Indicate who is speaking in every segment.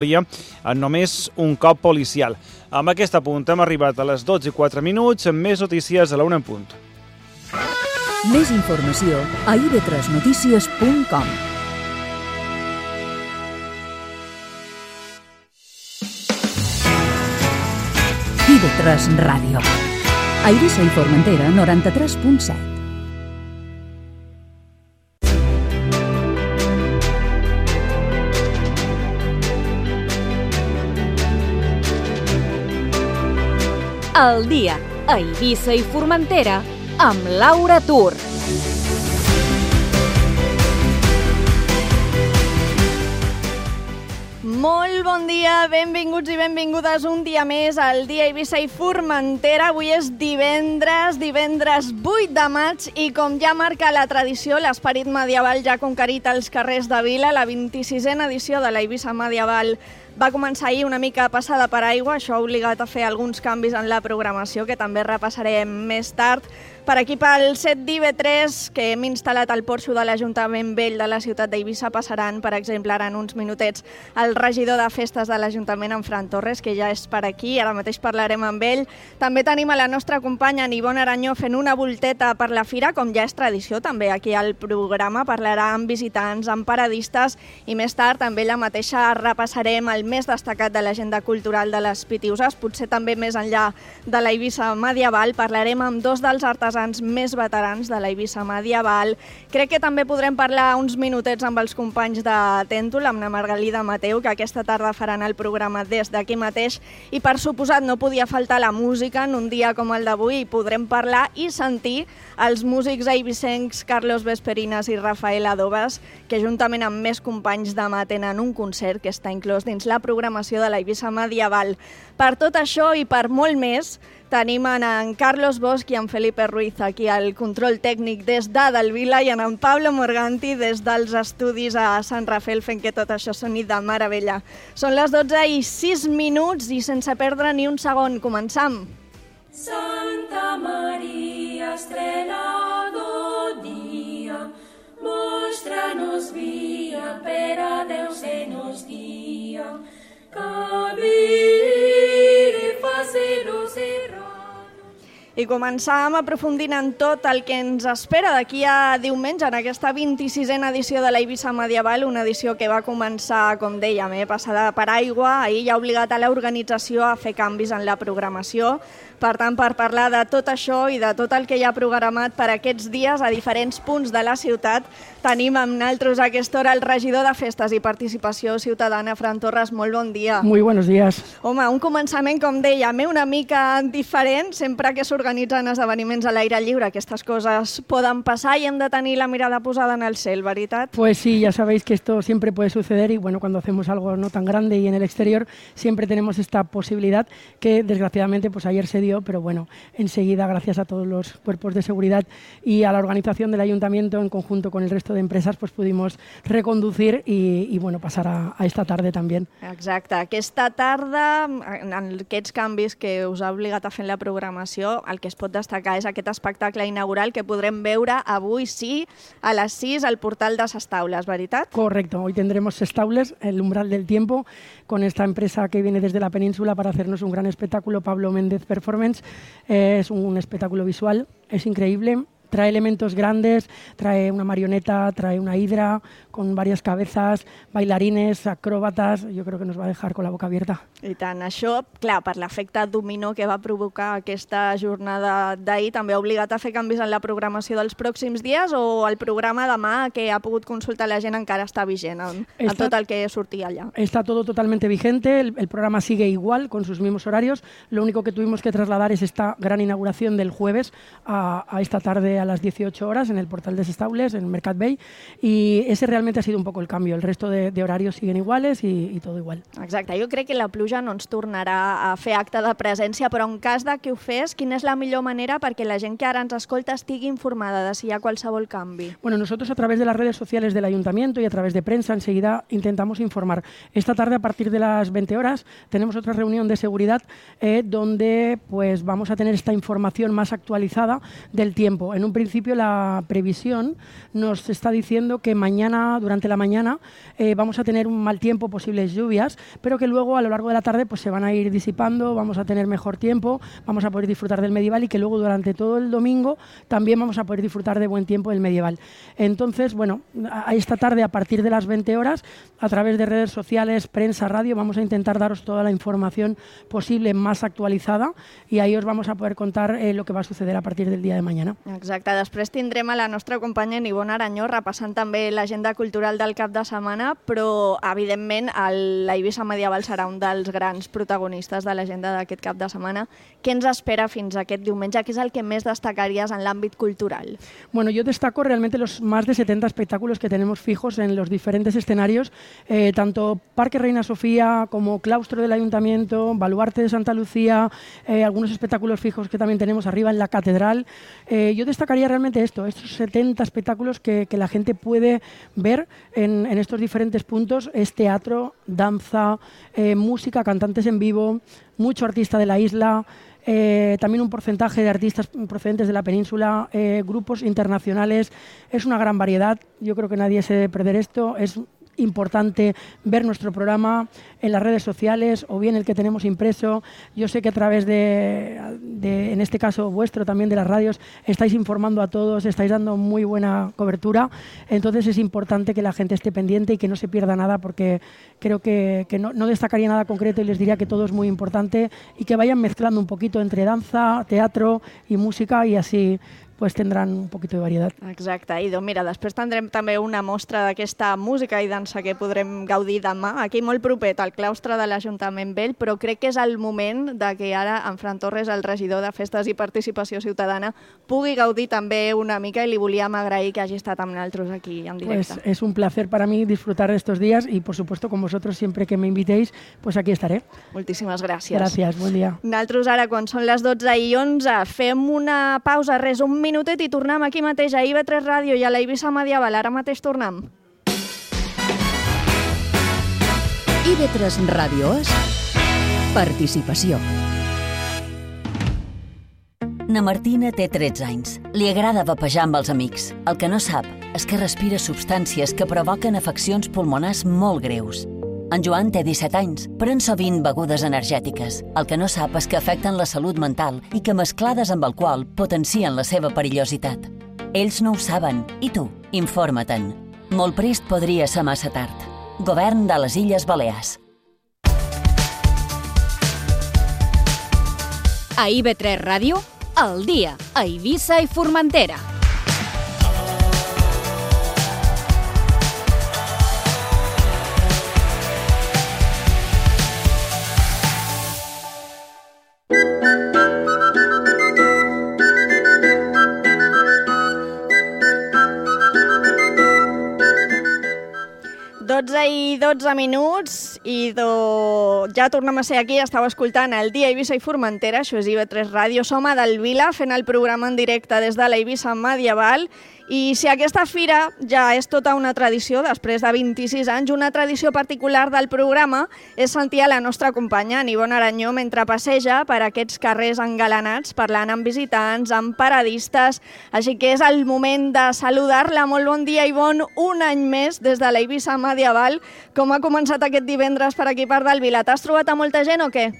Speaker 1: en només un cop policial. Amb aquest apunt hem arribat a les 12:04, amb més notícies a la 1 en punt.
Speaker 2: Més informació a ib3notícies.com. IB3 Ràdio. A Eivissa i Formentera, 93.7.
Speaker 3: El dia a Eivissa i Formentera amb Laura Tur. Molt bon dia, benvinguts i benvingudes un dia més al dia Eivissa i Formentera. Avui és divendres 8 de maig i com ja marca la tradició, l'esperit medieval ja ha conquerit els carrers de Vila. La 26a edició de la Eivissa Medieval va començar ahir una mica passada per aigua, això ha obligat a fer alguns canvis en la programació que també repassarem més tard. Per aquí pel set d'IB3, que hem instal·lat al porxo de l'Ajuntament Vell de la ciutat d'Eivissa, passaran, per exemple, ara en uns minutets, el regidor de festes de l'Ajuntament, en Fran Torres, que ja és per aquí, ara mateix parlarem amb ell. També tenim a la nostra companya, Ivonne Aranyó, fent una volteta per la fira, com ja és tradició, també aquí al programa, parlarà amb visitants, amb paradistes, i més tard també la mateixa repassarem el més destacat de l'agenda cultural de les Pitiuses, potser també més enllà de la Eivissa medieval. Parlarem amb dos dels artesans més veterans de la Eivissa medieval. Crec que també podrem parlar uns minutets amb els companys de Tèntol, amb la Margalida Mateu, que aquesta tarda faran el programa des d'aquí mateix, i per suposat no podia faltar la música en un dia com el d'avui, i podrem parlar i sentir els músics eivissencs Carlos Vesperinas i Rafael Adobas, que juntament amb més companys demà tenen un concert que està inclòs dins la programació de la Eivissa medieval. Per tot això i per molt més, tenim en Carlos Bosch i en Felipe Ruiz aquí al control tècnic des d'Edelvila i en Pablo Morganti des dels estudis a Sant Rafael fent que tot això soni de meravella. Són les 12:06 i sense perdre ni un segon, començam.
Speaker 4: Santa Maria, estrella do dia, mostra-nos via per a Déu se nos guia, cabir i facer-nos errar.
Speaker 3: I començàvem aprofundint en tot el que ens espera d'aquí a diumenge, en aquesta 26a edició de la Eivissa medieval, una edició que va començar, com dèiem, passada per aigua. Ahir ja ha obligat a l'organització a fer canvis en la programació. Per tant, per parlar de tot això i de tot el que hi ha programat per aquests dies a diferents punts de la ciutat, tenim amb nosaltres a aquesta hora el regidor de Festes i Participació Ciutadana, Fran Torres. Molt bon dia.
Speaker 5: Muy buenos días.
Speaker 3: Home, un començament, com dèiem, una mica diferent. Sempre que s'organitzen esdeveniments a l'aire lliure, aquestes coses poden passar i hem de tenir la mirada posada en el cel, ¿verdad?
Speaker 5: Pues sí, ya sabéis que esto siempre puede suceder y bueno, cuando hacemos algo no tan grande y en el exterior siempre tenemos esta posibilidad que desgraciadamente pues ayer se dio, pero bueno, enseguida gracias a todos los cuerpos de seguridad y a la organización del ayuntamiento en conjunto con el resto de empresas pues pudimos reconducir y bueno, pasar a esta tarde también.
Speaker 3: Exacte, aquesta tarda, en aquests canvis que us ha obligat a fer en la programació, el que es pot destacar és aquest espectacle inaugural que podrem veure avui sí a les 6 al portal de Ses Taules, ¿verdad?
Speaker 5: Correcto, hoy tendremos Ses Taules, el umbral del tiempo, con esta empresa que viene desde la península para hacernos un gran espectáculo, Pablo Méndez Performance. Es un espectáculo visual, es increíble. Trae elementos grandes, trae una marioneta, trae una hidra con varias cabezas, bailarines, acróbatas. Jo crec que nos va a dejar con la boca abierta.
Speaker 3: I tant, això, clar, per l'efecte dominó que va provocar aquesta jornada d'ahir, també ha obligat a fer canvis en la programació dels pròxims dies o el programa demà que ha pogut consultar la gent encara està vigent en tot el que sortia allà?
Speaker 5: Está todo totalmente vigente, el programa sigue igual, con sus mismos horarios. Lo único que tuvimos que trasladar es esta gran inauguración del jueves a esta tarde a las 18 horas en el portal de Ses Taules, en Mercat Bay, y ese realmente ha sido un poco el cambio. El resto de horarios siguen iguales y todo igual.
Speaker 3: Exacte, jo crec que la pluja no ens tornarà a fer acte de presència, però en cas de que ho fes, quina és la millor manera perquè la gent que ara ens escolta estigui informada de si hi ha qualsevol canvi?
Speaker 5: Bueno, nosotros a través de las redes sociales del Ayuntamiento y a través de prensa enseguida intentamos informar. Esta tarde a partir de las 20 horas tenemos otra reunión de seguridad donde pues vamos a tener esta información más actualizada del tiempo. En un un principio la previsión nos está diciendo que mañana, durante la mañana, vamos a tener un mal tiempo, posibles lluvias, pero que luego a lo largo de la tarde pues, se van a ir disipando, vamos a tener mejor tiempo, vamos a poder disfrutar del medieval y que luego durante todo el domingo también vamos a poder disfrutar de buen tiempo del medieval. Entonces, bueno, esta tarde a partir de las 20 horas, a través de redes sociales, prensa, radio, vamos a intentar daros toda la información posible más actualitzada i ahir us vamos a poder contar lo que va a suceder a partir del dia de mañana.
Speaker 3: Exacte, després tindrem a la nostra companya Ivonne Aranyó repassant també l'agenda cultural del cap de setmana, però evidentment l'Eivissa Medieval serà un dels grans protagonistes de l'agenda d'aquest cap de setmana. Què ens espera fins aquest diumenge? Què és el que més destacaries en l'àmbit cultural?
Speaker 5: Bueno, yo destaco realmente los más de 70 espectáculos que tenemos fijos en los diferentes escenarios, tanto Parque Reina Sofía como Claustro del Ayuntamiento, Baluarte de Santa Lucía, algunos espectáculos fijos que también tenemos arriba en la Catedral. Yo destacaría realmente estos 70 espectáculos que la gente puede ver en estos diferentes puntos. Es teatro, danza, música, cantantes en vivo, mucho artista de la isla, también un porcentaje de artistas procedentes de la península, grupos internacionales. Es una gran variedad. Yo creo que nadie se debe perder esto. Es importante ver nuestro programa en las redes sociales o bien el que tenemos impreso. Yo sé que a través de en este caso vuestro también de las radios, estáis informando a todos, estáis dando muy buena cobertura. Entonces es importante que la gente esté pendiente y que no se pierda nada, porque creo que no destacaría nada concreto y les diría que todo es muy importante y que vayan mezclando un poquito entre danza, teatro y música, y así pues tindran un poquito de varietat.
Speaker 3: Exacte, Ido. Mira, després tindrem també una mostra d'aquesta música i dansa que podrem gaudir demà, aquí molt propet, al claustre de l'Ajuntament Vell, però crec que és el moment de que ara en Fran Torres, el regidor de Festes i Participació Ciutadana, pugui gaudir també una mica, i li volíem agrair que hagi estat amb nosaltres aquí en directe.
Speaker 5: Pues es un placer para mí disfrutar de estos días y, por supuesto, con vosotros siempre que me invitéis, pues aquí estaré.
Speaker 3: Moltíssimes gràcies.
Speaker 5: Gràcies, bon dia.
Speaker 3: Nosaltres ara, quan són les 12:11, fem una pausa, res, un minutet, i tornem aquí mateix a IB3 Ràdio i a la Eivissa Medieval. Ara mateix tornem.
Speaker 2: IB3 Ràdio és participació.
Speaker 6: Na Martina té 13 anys. Li agrada vapejar amb els amics. El que no sap és que respira substàncies que provoquen afeccions pulmonars molt greus. En Joan té 17 anys, pren sovint begudes energètiques. El que no sap és que afecten la salut mental i que mesclades amb alcohol potencien la seva perillositat. Ells no ho saben, i tu, informa-te'n. Molt prest podria ser massa tard. Govern de les Illes Balears.
Speaker 7: A IB3 Ràdio, al dia, a Eivissa i Formentera.
Speaker 3: I 12 minuts i ja tornem a ser aquí. Estàu escoltant el Dia Eivissa i Formentera, això és IB3 Ràdio. Som a Delvila fent el programa en directe des de la Eivissa Medieval. I si aquesta fira ja és tota una tradició, després de 26 anys, una tradició particular del programa és sentir a la nostra companya, Ivonne Aranyó, mentre passeja per aquests carrers engalanats, parlant amb visitants, amb paradistes. Així que és el moment de saludar-la. Molt bon dia, Ivonne, un any més des de la Eivissa Medieval. Com ha començat aquest divendres per aquí per Delvila? T'has trobat a molta gent o què?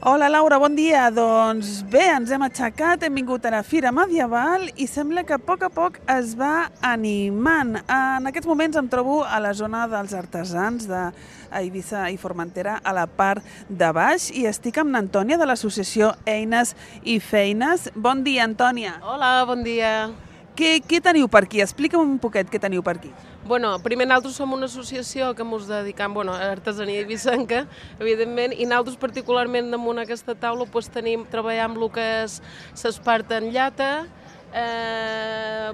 Speaker 8: Hola Laura, bon dia. Doncs bé, ens hem aixecat, hem vingut a la Fira Medieval i sembla que a poc es va animant. En aquests moments em trobo a la zona dels artesans d'Eivissa i Formentera, a la part de baix, i estic amb l'Antònia de l'associació Eines i Feines. Bon dia, Antònia.
Speaker 9: Hola, bon dia.
Speaker 8: Què teniu per aquí? Explica'm un poquet què teniu per aquí.
Speaker 9: Bueno, primer nosaltres som una associació que ens dedicam a artesania eivissenca, evidentment, i nosaltres particularment damunt aquesta taula treballem el que és l'espart en llata. La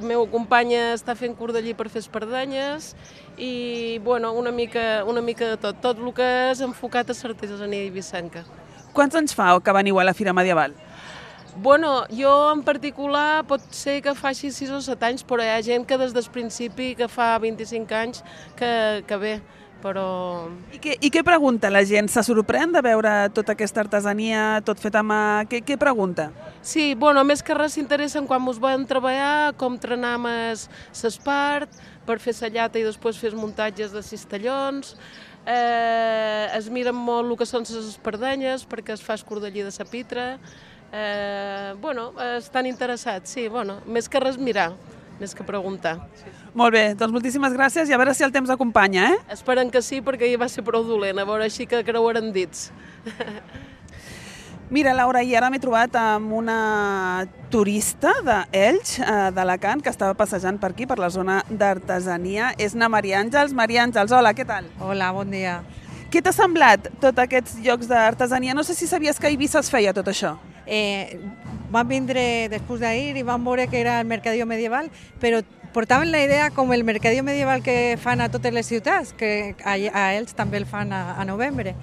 Speaker 9: meva companya està fent cordellí per fer espardenyes i una mica de tot el que és enfocat a l'artesania eivissenca.
Speaker 8: Quants anys fa que veniu a la Fira Medieval?
Speaker 9: Bueno, jo en particular pot ser que faci 6 o 7 anys, però hi ha gent que des del principi, que fa 25 anys, que ve, però...
Speaker 8: I què pregunta la gent? Se sorprèn de veure tota aquesta artesania, tot fet a mà? Què pregunta?
Speaker 9: Sí, bueno, més que res s'interessen quan mos van treballar, com trenam l'espart, per fer la llata i després fer els muntatges de cistellons. Es miren molt el que són les espardenyes, perquè es fa escordellí de la pitra. Estan interessats, sí, més que res mirar, més que preguntar.
Speaker 8: Molt bé, doncs moltíssimes gràcies i a veure si el temps acompanya, eh?
Speaker 9: Esperen que sí, perquè ahir va ser prou dolent, a veure així que creuaran dits.
Speaker 8: Mira, Laura, i ara m'he trobat amb una turista d'Elx, d'Alacant, que estava passejant per aquí, per la zona d'artesania. És na Maria Àngels. Maria Àngels, hola, què tal?
Speaker 10: Hola, bon dia.
Speaker 8: Què t'ha semblat tots aquests llocs d'artesania? No sé si sabies que a Eivissa es feia tot això.
Speaker 10: Vam vindre després d'ahir i vam veure que era el mercadillo medieval, però portaven la idea com el mercadillo medieval que fan a totes les ciutats, que a Elx també el fan a novembre.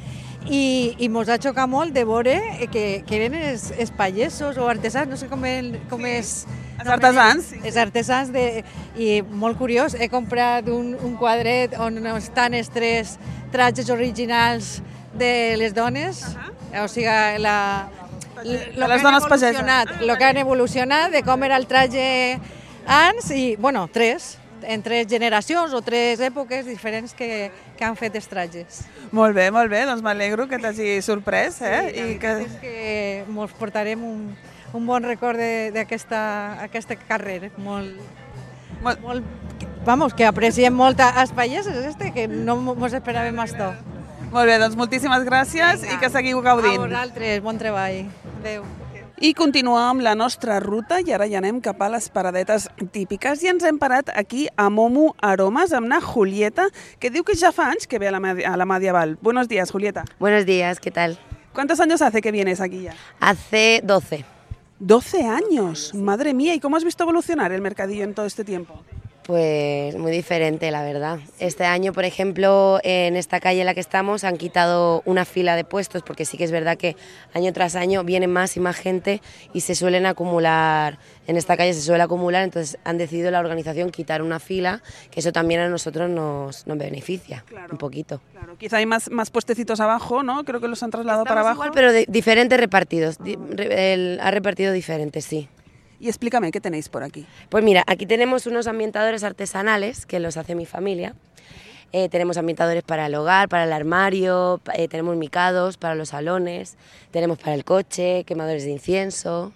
Speaker 10: I mos ha xocat molt de veure que eren els pagesos o artesans, no sé com és...
Speaker 8: Els artesans.
Speaker 10: Els artesans, i molt curiós, he comprat un quadret on estan els 3 trajes originals de les dones, o sigui,
Speaker 8: les dones pageses.
Speaker 10: El que han evolucionat de com era el traje abans, i, 3, en 3 generacions o 3 èpoques diferents que han fet els trajes.
Speaker 8: Molt bé, doncs m'alegro que t'hagi sorprès.
Speaker 10: Sí, és que ens portarem un bon record d'aquesta carrera. Vamos, que apreciem molt els pagesos, que no ens esperàvem això.
Speaker 8: Molt bé, doncs moltíssimes gràcies. Vinga. I que seguiu gaudint.
Speaker 10: A vosaltres, bon treball. Adéu.
Speaker 8: I continuem la nostra ruta i ara ja anem cap a les paradetes típiques i ens hem parat aquí a Momo Aromas amb na Julieta, que diu que ja fa anys que ve a la Medieval. Buenos días, Julieta.
Speaker 11: Buenos días, ¿qué tal?
Speaker 8: ¿Cuántos años hace que vienes aquí ya?
Speaker 11: Hace 12.
Speaker 8: 12 años, madre mía. ¿Y cómo has visto evolucionar el mercadillo en todo este tiempo?
Speaker 11: Pues muy diferente, la verdad. Este año, por ejemplo, en esta calle en la que estamos han quitado una fila de puestos, porque sí que es verdad que año tras año viene más y más gente y se suelen acumular, en esta calle se suele acumular, entonces han decidido la organización quitar una fila, que eso también a nosotros nos beneficia, claro, un poquito.
Speaker 8: Claro, quizá hay más puestecitos abajo, ¿no? Creo que los han trasladado para abajo.
Speaker 11: Igual, pero de diferentes repartidos, ha repartido diferentes, sí.
Speaker 8: Y explícame, ¿qué tenéis por aquí?
Speaker 11: Pues mira, aquí tenemos unos ambientadores artesanales que los hace mi familia. Tenemos ambientadores para el hogar, para el armario, tenemos micados para los salones, tenemos para el coche, quemadores de incienso.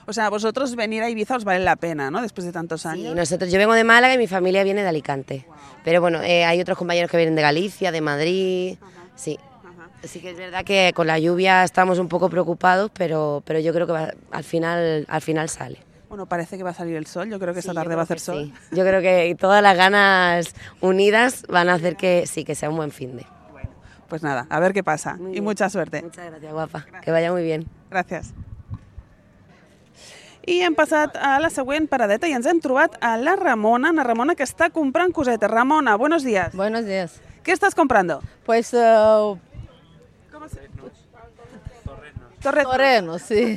Speaker 8: O sea, vosotros venir a Ibiza os vale la pena, ¿no? Después de tantos años.
Speaker 11: Sí, yo vengo de Málaga y mi familia viene de Alicante. Wow. Pero bueno, hay otros compañeros que vienen de Galicia, de Madrid, sí. Sí que es verdad que con la lluvia estamos un poco preocupados, pero yo creo que al final sale.
Speaker 8: Bueno, parece que va a salir el sol, yo creo que esta tarde va a hacer sol.
Speaker 11: Sí. Yo creo que todas las ganas unidas van a hacer que sea un buen finde.
Speaker 8: Bueno, pues nada, a ver qué pasa y mucha suerte.
Speaker 11: Muchas gracias, guapa. Gracias. Que vaya muy bien.
Speaker 8: Gràcies. I hem passat a la següent paradeta i ens hem trobat a la Ramona que està comprant cosetes. Ramona, buenos días.
Speaker 12: Buenos días.
Speaker 8: ¿Qué estás comprando?
Speaker 12: Pues... Torrenos, sí.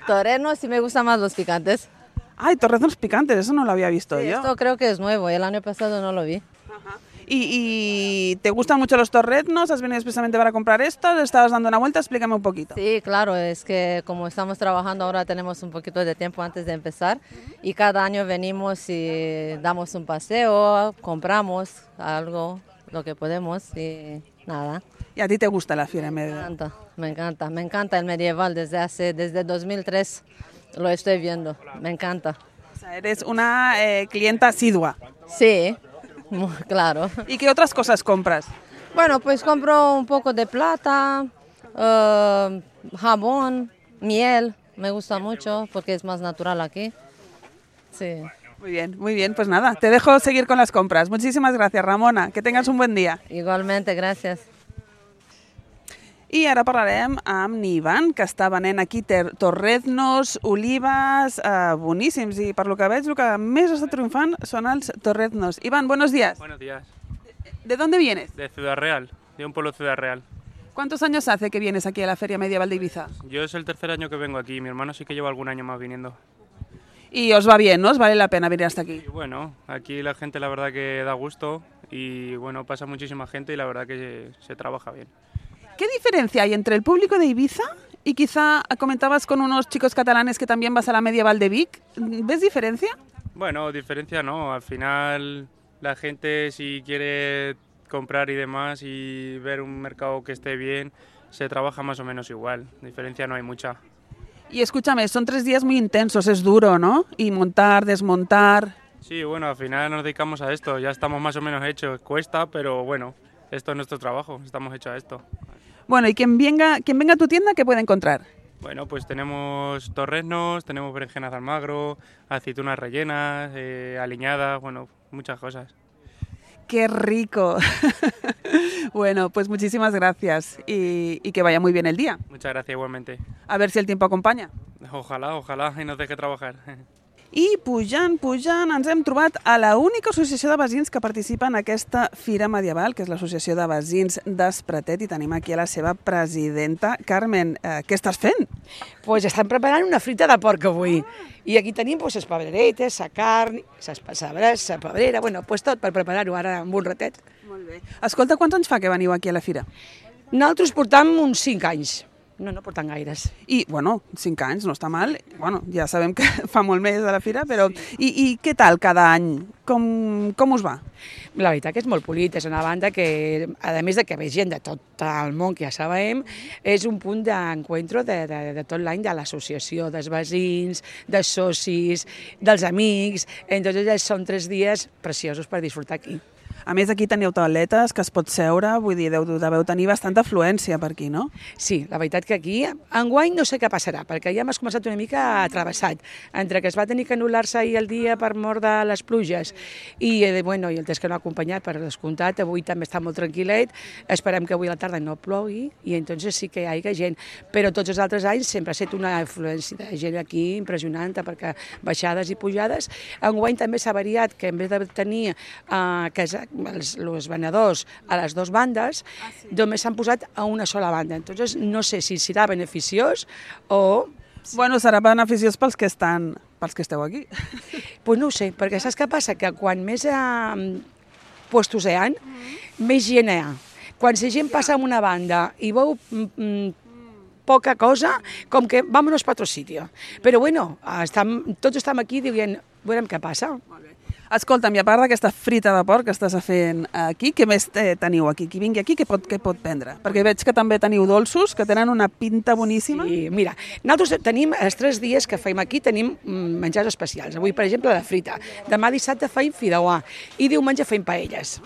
Speaker 12: Torrenos y me gustan más los picantes.
Speaker 8: Ay, torrenos picantes, eso no lo había visto yo.
Speaker 12: Esto creo que es nuevo, el año pasado no lo vi.
Speaker 8: Ajá. ¿Y te gustan mucho los torrenos? ¿Has venido expresamente para comprar esto? ¿Le estabas dando una vuelta? Explícame un poquito.
Speaker 12: Sí, claro, es que como estamos trabajando ahora tenemos un poquito de tiempo antes de empezar y cada año venimos y damos un paseo, compramos algo, lo que podemos y nada.
Speaker 8: ¿Y a ti te gusta la fiera medieval?
Speaker 12: Me encanta el medieval desde 2003 lo estoy viendo, me encanta.
Speaker 8: O sea, eres una clienta asidua.
Speaker 12: Sí, claro.
Speaker 8: ¿Y qué otras cosas compras?
Speaker 12: Bueno, pues compro un poco de plata, jabón, miel, me gusta mucho porque es más natural aquí. Sí.
Speaker 8: Muy bien, pues nada, te dejo seguir con las compras. Muchísimas gracias, Ramona, que tengas un buen día.
Speaker 12: Igualmente, gracias.
Speaker 8: I ara parlarem amb Ivan, que està venent aquí torreznos, olives, boníssims. I per lo que veig, el que més està triomfant són els torreznos. Ivan, buenos días.
Speaker 13: Buenos días.
Speaker 8: ¿De dónde vienes?
Speaker 13: De Ciudad Real, de un pueblo Ciudad Real.
Speaker 8: ¿Cuántos años hace que vienes aquí a la Feria Medieval de Ibiza?
Speaker 13: Yo es el tercer año que vengo aquí, mi hermano sí que lleva algún año más viniendo.
Speaker 8: Y os va bien, ¿no? ¿Os vale la pena venir hasta aquí?
Speaker 13: Y bueno, aquí la gente la verdad que da gusto y bueno, pasa muchísima gente y la verdad que se trabaja bien.
Speaker 8: ¿Qué diferencia hay entre el público de Ibiza y quizá comentabas con unos chicos catalanes que también vas a la Medieval de Vic? ¿Ves diferencia?
Speaker 13: Bueno, diferencia no, al final la gente si quiere comprar y demás y ver un mercado que esté bien, se trabaja más o menos igual, diferencia no hay mucha.
Speaker 8: Y escúchame, son 3 días muy intensos, es duro, ¿no? Y montar, desmontar...
Speaker 13: Sí, bueno, al final nos dedicamos a esto, ya estamos más o menos hechos, cuesta, pero bueno, esto es nuestro trabajo, estamos hechos a esto.
Speaker 8: Bueno, y quien venga a tu tienda, ¿qué puede encontrar?
Speaker 13: Bueno, pues tenemos torreznos, tenemos berenjenas de Almagro, aceitunas rellenas, aliñadas, bueno, muchas cosas.
Speaker 8: ¡Qué rico! Bueno, pues muchísimas gracias y que vaya muy bien el día.
Speaker 13: Muchas gracias igualmente.
Speaker 8: A ver si el tiempo acompanya.
Speaker 13: Ojalá y nos deje trabajar.
Speaker 8: I pujant, ens hem trobat a l'única associació de veïns que participa en aquesta Fira Medieval, que és l'Associació de Veïns d'Espretet, i tenim aquí a la seva presidenta. Carmen, què estàs fent?
Speaker 14: Pues estan preparant una frita de porc avui. I aquí tenim les pebreretes, la carn, les passabres, la pebrera, bueno, pues tot per preparar-ho ara amb un ratet.
Speaker 8: Molt bé. Escolta, quants anys fa que veniu aquí a la fira?
Speaker 14: Nosaltres portam uns 5 anys. No porten gaires.
Speaker 8: I, bueno, 5 anys no està mal. Bueno, ja sabem que fa molt més a la fira, però... I què tal cada any? Com us va?
Speaker 14: La veritat que és molt polit, és una banda que, a més de que ve gent de tot el món, que ja sabem, és un punt d'encuentro de tot l'any de l'associació, dels veïns, dels socis, dels amics. Entonces són 3 dies preciosos per disfrutar aquí.
Speaker 8: A més, aquí teniu tauletes que es pot seure, vull dir, deveu tenir bastanta afluència per aquí, no?
Speaker 14: Sí, la veritat que aquí, enguany no sé què passarà, perquè ja m'has començat una mica atravessat, entre que es va tenir que anul·lar-se ahir el dia per mort de les pluges i el temps que no ha acompanyat per descomptat, avui també està molt tranquil·let, esperem que avui a la tarda no plogui i entonces sí que hi hagi gent, però tots els altres anys sempre ha estat una afluència de gent aquí impressionant, perquè baixades i pujades. Enguany també s'ha variat que en vez de tenir els venedors a les 2 bandes, només s'han posat a una sola banda. Entonces, no sé si serà beneficiós o...
Speaker 8: Bueno, serà beneficiós pels que esteu aquí.
Speaker 14: Pues no ho sé, perquè saps què passa? Que quan més puestos hi ha, més gent hi ha. Quan la gent passa a una banda i veu poca cosa, com que vámonos para otro sitio. Però bueno, tots estem aquí dient, veurem què passa.
Speaker 8: Escolta'm, i a part d'aquesta frita de porc que estàs fent aquí, què més teniu aquí? Qui vingui aquí, què pot prendre? Perquè veig que també teniu dolços, que tenen una pinta boníssima.
Speaker 14: Sí, mira, nosaltres tenim els 3 dies que feim aquí, tenim menjars especials. Avui, per exemple, la frita. Demà dissabte feim fideuà i diumenge feim paelles.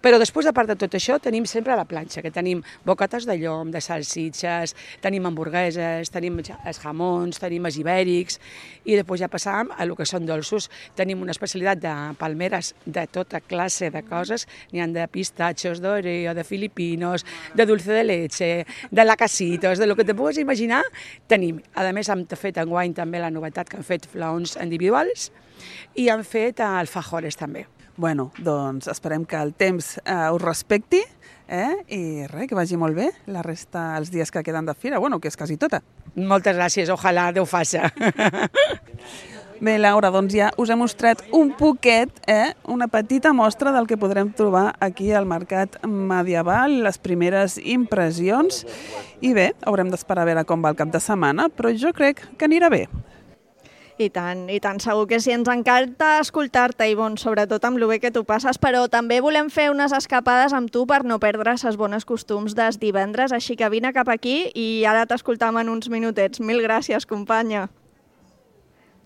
Speaker 14: Però després, a part de tot això, tenim sempre a la planxa, que tenim bocates de llom, de salsitxes, tenim hamburgueses, tenim els jamons, tenim els ibèrics, i després ja passam a el que són dolços. Tenim una especialitat de palmeres de tota classe de coses, n'hi ha de pistatxos, d'oreo, de filipinos, de dulce de leche, de lacasitos, de lo que te puguis imaginar, tenim. A més, hem fet enguany també la novetat que han fet flaons individuals i han fet alfajores també.
Speaker 8: Bueno, doncs esperem que el temps us respecti i res, que vagi molt bé la resta els dies que queden de fira, bueno, que és quasi tota.
Speaker 14: Moltes gràcies, ojalà Déu faça.
Speaker 8: Bé, Laura, doncs ja us he mostrat un poquet, una petita mostra del que podrem trobar aquí al Mercat Medieval, les primeres impressions, i bé, haurem d'esperar a veure com va el cap de setmana, però jo crec que anirà bé.
Speaker 3: I tant, segur que sí, ens encanta escoltar-te, Ivonne, sobretot amb lo bé que tu passes, però també volem fer unes escapades amb tu per no perdre els bons costums des divendres, així que vine cap aquí i ara t'escoltam en uns minutets. Mil gràcies, companya.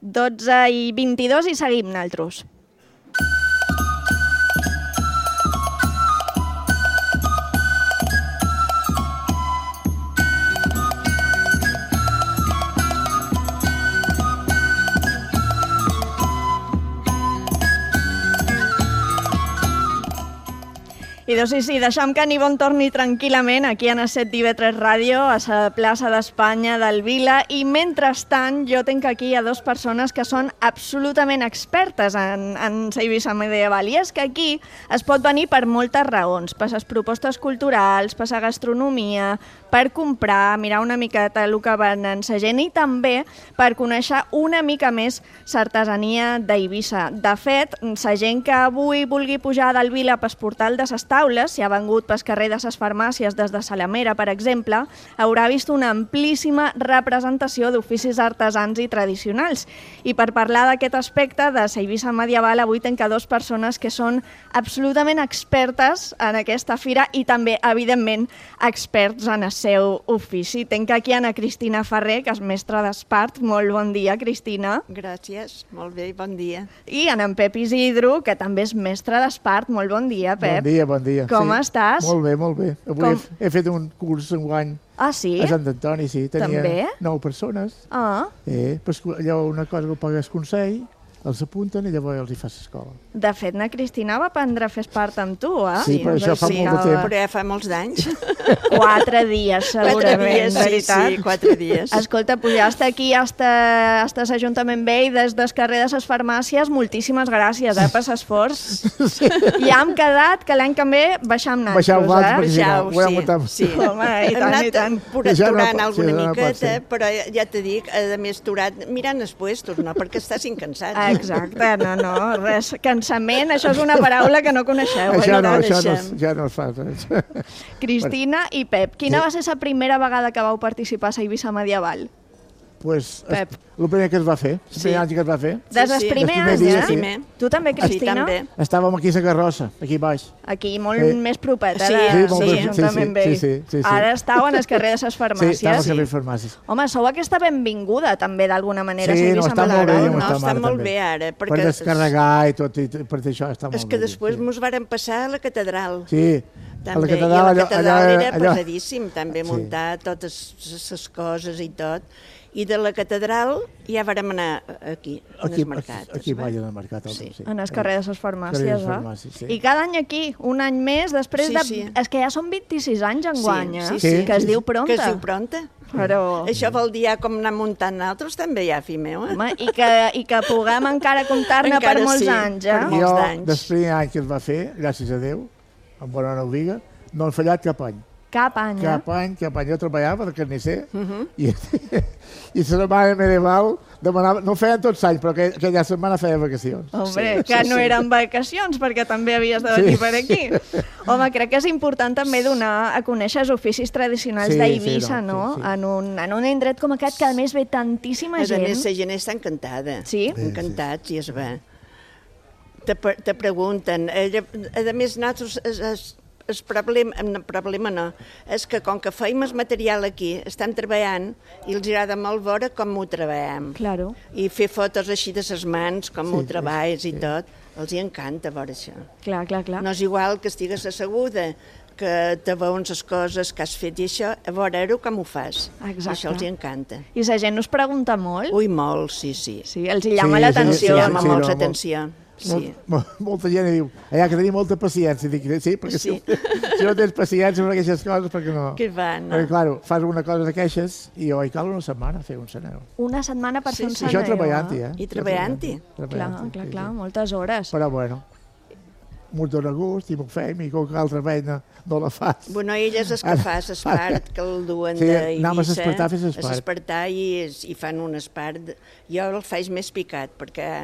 Speaker 3: 12:22 i seguim naltros. I Idò, sí, deixem que en Ivonne torni tranquil·lament aquí a Set d'IV3 Ràdio, a la plaça d'Espanya del Vila, i mentrestant jo tinc aquí a dues persones que són absolutament expertes en Eivissa medieval, i és que aquí es pot venir per moltes raons, per les propostes culturals, per la gastronomia, per comprar, mirar una miqueta el que venen la gent i també per conèixer una mica més l'artesania d'Eivissa. De fet, la gent que avui vulgui pujar del Vila pel portal de les taules, si ha vengut pel carrer de les farmàcies des de Salamera, per exemple, haurà vist una amplíssima representació d'oficis artesans i tradicionals. I per parlar d'aquest aspecte de l'Eivissa medieval, avui tenc a dues persones que són absolutament expertes en aquesta fira i també, evidentment, experts en el seu ofici. Tenc aquí Ana Cristina Ferrer, que és mestra d'Espart. Molt bon dia, Cristina.
Speaker 15: Gràcies, molt bé, bon dia.
Speaker 3: I en Pep Isidro, que també és mestre d'Espart. Molt bon dia, Pep.
Speaker 16: Bon dia.
Speaker 3: Com estàs?
Speaker 16: Molt bé, molt bé. Avui he fet un curs enguany
Speaker 3: sí?
Speaker 16: a Sant Antoni, sí. Tenia
Speaker 3: també?
Speaker 16: 9 persones.
Speaker 3: Pues
Speaker 16: allò, una cosa que pagues consell, els apunten i llavors els hi fas escola.
Speaker 3: De fet, na Cristina va aprendre a fer espart amb tu,
Speaker 16: Sí, però això fa molt de temps.
Speaker 15: Però ja fa molts d'anys.
Speaker 3: 4 dies, segurament,
Speaker 15: 4 dies,
Speaker 3: veritat.
Speaker 15: Sí, 4 dies.
Speaker 3: Escolta, pujaste aquí hasta l'Ajuntament Vell, des del carrer de les farmàcies. Moltíssimes gràcies per l'esforç. I hem quedat que l'any que ve baixam
Speaker 16: Baixau
Speaker 3: nosaltres,
Speaker 16: perquè si no, ho hem muntat.
Speaker 15: Sí.
Speaker 3: Home, i tant, i tant.
Speaker 15: Aturant alguna miqueta, però ja te dic, a més turat, mirant els puestos, no? Perquè estàs incansat.
Speaker 3: Exacte, no, res. Cansament, això és una paraula que no coneixeu.
Speaker 16: Això ja no es fa.
Speaker 3: Cristina i Pep, quina va ser la primera vegada que vau participar a Eivissa medieval?
Speaker 16: Pues, el primer que es va fer, el primer any que es va fer.
Speaker 3: Des del primer any,
Speaker 16: ja?
Speaker 3: Tu també, Cristina?
Speaker 15: Sí, també.
Speaker 16: Estàvem aquí a la carrossa, aquí baix.
Speaker 3: Aquí, molt més propeta
Speaker 16: de
Speaker 3: l'Ajuntament Vell.
Speaker 16: Sí.
Speaker 3: Ara estàu en el carrer de les farmàcies.
Speaker 16: Sí, estàvem al carrer de les farmàcies.
Speaker 3: Home, sou aquesta benvinguda, també, d'alguna manera.
Speaker 16: Sí,
Speaker 15: està molt bé ara.
Speaker 16: Per descarregar i tot, i per això està molt bé.
Speaker 15: És que després mos varen passar a la catedral.
Speaker 16: Sí,
Speaker 15: a la catedral era pesadíssim, també muntar totes les coses i tot. I de la catedral ja vàrem anar aquí, en el mercat.
Speaker 16: Aquí vaig al mercat.
Speaker 3: En el carrer de les farmàcies,
Speaker 16: sí.
Speaker 3: I cada any aquí, un any més, després de... És que ja són 26 anys enguany, que es diu pronta.
Speaker 15: Que es diu pronta.
Speaker 3: Però...
Speaker 15: Això vol dir ja com anar muntant nosaltres també ja, fi meu.
Speaker 3: Home, i que puguem encara comptar-ne per molts anys, eh?
Speaker 16: Jo, del primer any que es va fer, gràcies a Déu, amb bona no ho diga, no he fallat cap any.
Speaker 3: Cap any,
Speaker 16: Cap any. Jo treballava de carnisser i la setmana medieval demanava... No ho feien tots anys, però aquella setmana feia vacacions.
Speaker 3: Hombre, que no eren vacacions, perquè també havies de venir per aquí. Home, crec que és important també donar a conèixer els oficis tradicionals d'Eivissa, no? En un indret com aquest, que a més ve tantíssima gent.
Speaker 15: A més, la gent està encantada.
Speaker 3: Sí?
Speaker 15: Encantats, i es va. Te pregunten. A més, nosaltres... El problema no, és que com que feim el material aquí, estem treballant i els agrada molt veure com ho treballem.
Speaker 3: Claro.
Speaker 15: I fer fotos així de les mans, com ho treballes i tot, els hi encanta veure això.
Speaker 3: Clar.
Speaker 15: No és igual que estigues asseguda, que te veuen les coses que has fet i això, a veure-ho com ho fas.
Speaker 3: Exacte.
Speaker 15: Això els hi encanta.
Speaker 3: I la gent us pregunta molt?
Speaker 15: Ui, molt, sí.
Speaker 3: Sí, els hi llama l'atenció.
Speaker 15: Els llama molt l'atenció. Sí.
Speaker 16: Molta gent diu, allà que tenim molta paciència. Dic, sí, perquè si no tens paciència per aquestes coses, perquè no?
Speaker 15: Que va, no?
Speaker 16: Perquè, clar, fas una cosa d'aquestes i cal una setmana fer un saneu.
Speaker 3: Una setmana per fer un saneu.
Speaker 16: Això treballant-hi,
Speaker 15: I treballant-hi.
Speaker 3: Clar, moltes hores.
Speaker 16: Però bueno, m'ho dóna gust i m'ho fem i com que altra feina no la fas.
Speaker 15: Bueno, ell és el que fa l'espart, que el duen d'Eivissa.
Speaker 16: Anem a s'espartar a fer l'espart.
Speaker 15: A s'espartar i fan un espart. Jo el faig més picat, perquè...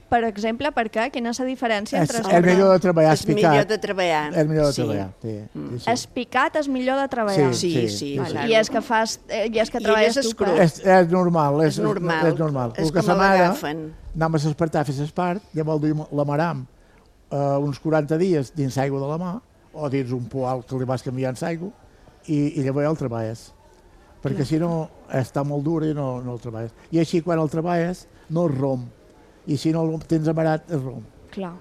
Speaker 3: Per exemple, per què? Quina és la diferència entre...
Speaker 16: És millor de treballar espicat.
Speaker 15: És millor de treballar.
Speaker 16: És millor de treballar, sí.
Speaker 3: Espicat és millor de treballar.
Speaker 15: Sí.
Speaker 3: I és que treballes tu.
Speaker 16: És normal. És normal.
Speaker 15: És com l'agafen.
Speaker 16: Anem a s'espartar a fer l'espart, llavors l'amaram uns 40 dies dins aigua de la mà, o dins un poal que li vas canviant l'aigua, i llavors ja el treballes. Perquè si no, està molt dur i no el treballes. I així, quan el treballes, no es romp. I si no el tens amarat, es romp.
Speaker 3: Clar.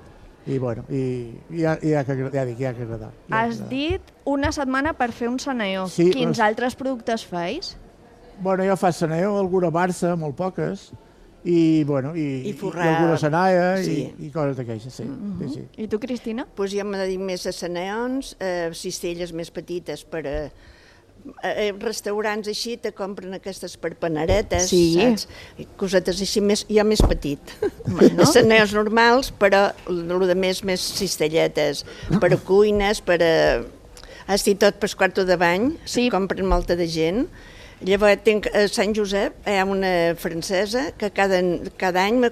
Speaker 16: I bueno, ja que agradar.
Speaker 3: Has dit una setmana per fer un saneó.
Speaker 16: Sí,
Speaker 3: Quins altres productes feis?
Speaker 16: Bueno, jo faig saneó, alguna barça, molt poques, i, bueno, i alguna senaia i coses d'aquestes, sí.
Speaker 3: I tu, Cristina?
Speaker 15: Pues jo me dedico més a senaons, cistelles més petites per a restaurants així te compren aquestes per panaretes, saps? Cosetes així jo més petit. Senaons normals, però el de més cistelletes, per a cuines, per a... Esti tot per quarto de bany, compren molta de gent. Llavors tinc a Sant Josep, hi ha una francesa que cada any me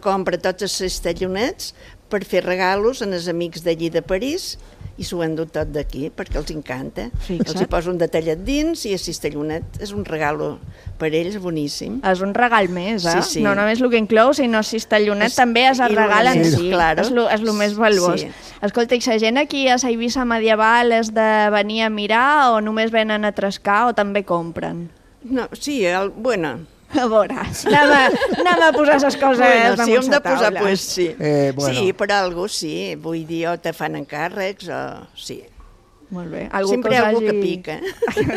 Speaker 15: compra tots els cistellonets per fer regalos als amics d'allí de París i s'ho han dut tot d'aquí perquè els encanta. Els hi poso un detallet dins i el cistellonet és un regalo per ells boníssim.
Speaker 3: És un regal més, eh?
Speaker 15: Sí.
Speaker 3: No només el que inclou, sinó el cistellonet també és el regal en si. És el més valuós. Escolta, i la gent aquí a la Eivissa medieval és de venir a mirar o només venen a trescar o també compren?
Speaker 15: No, sí, bueno...
Speaker 3: A veure, anem a posar les coses damunt
Speaker 15: si hem de
Speaker 3: la
Speaker 15: posar,
Speaker 3: taula.
Speaker 15: pues sí. Sí, per algú sí. Vull dir, o te fan encàrrecs o... Sí.
Speaker 3: Molt bé.
Speaker 15: Sempre algú que pica.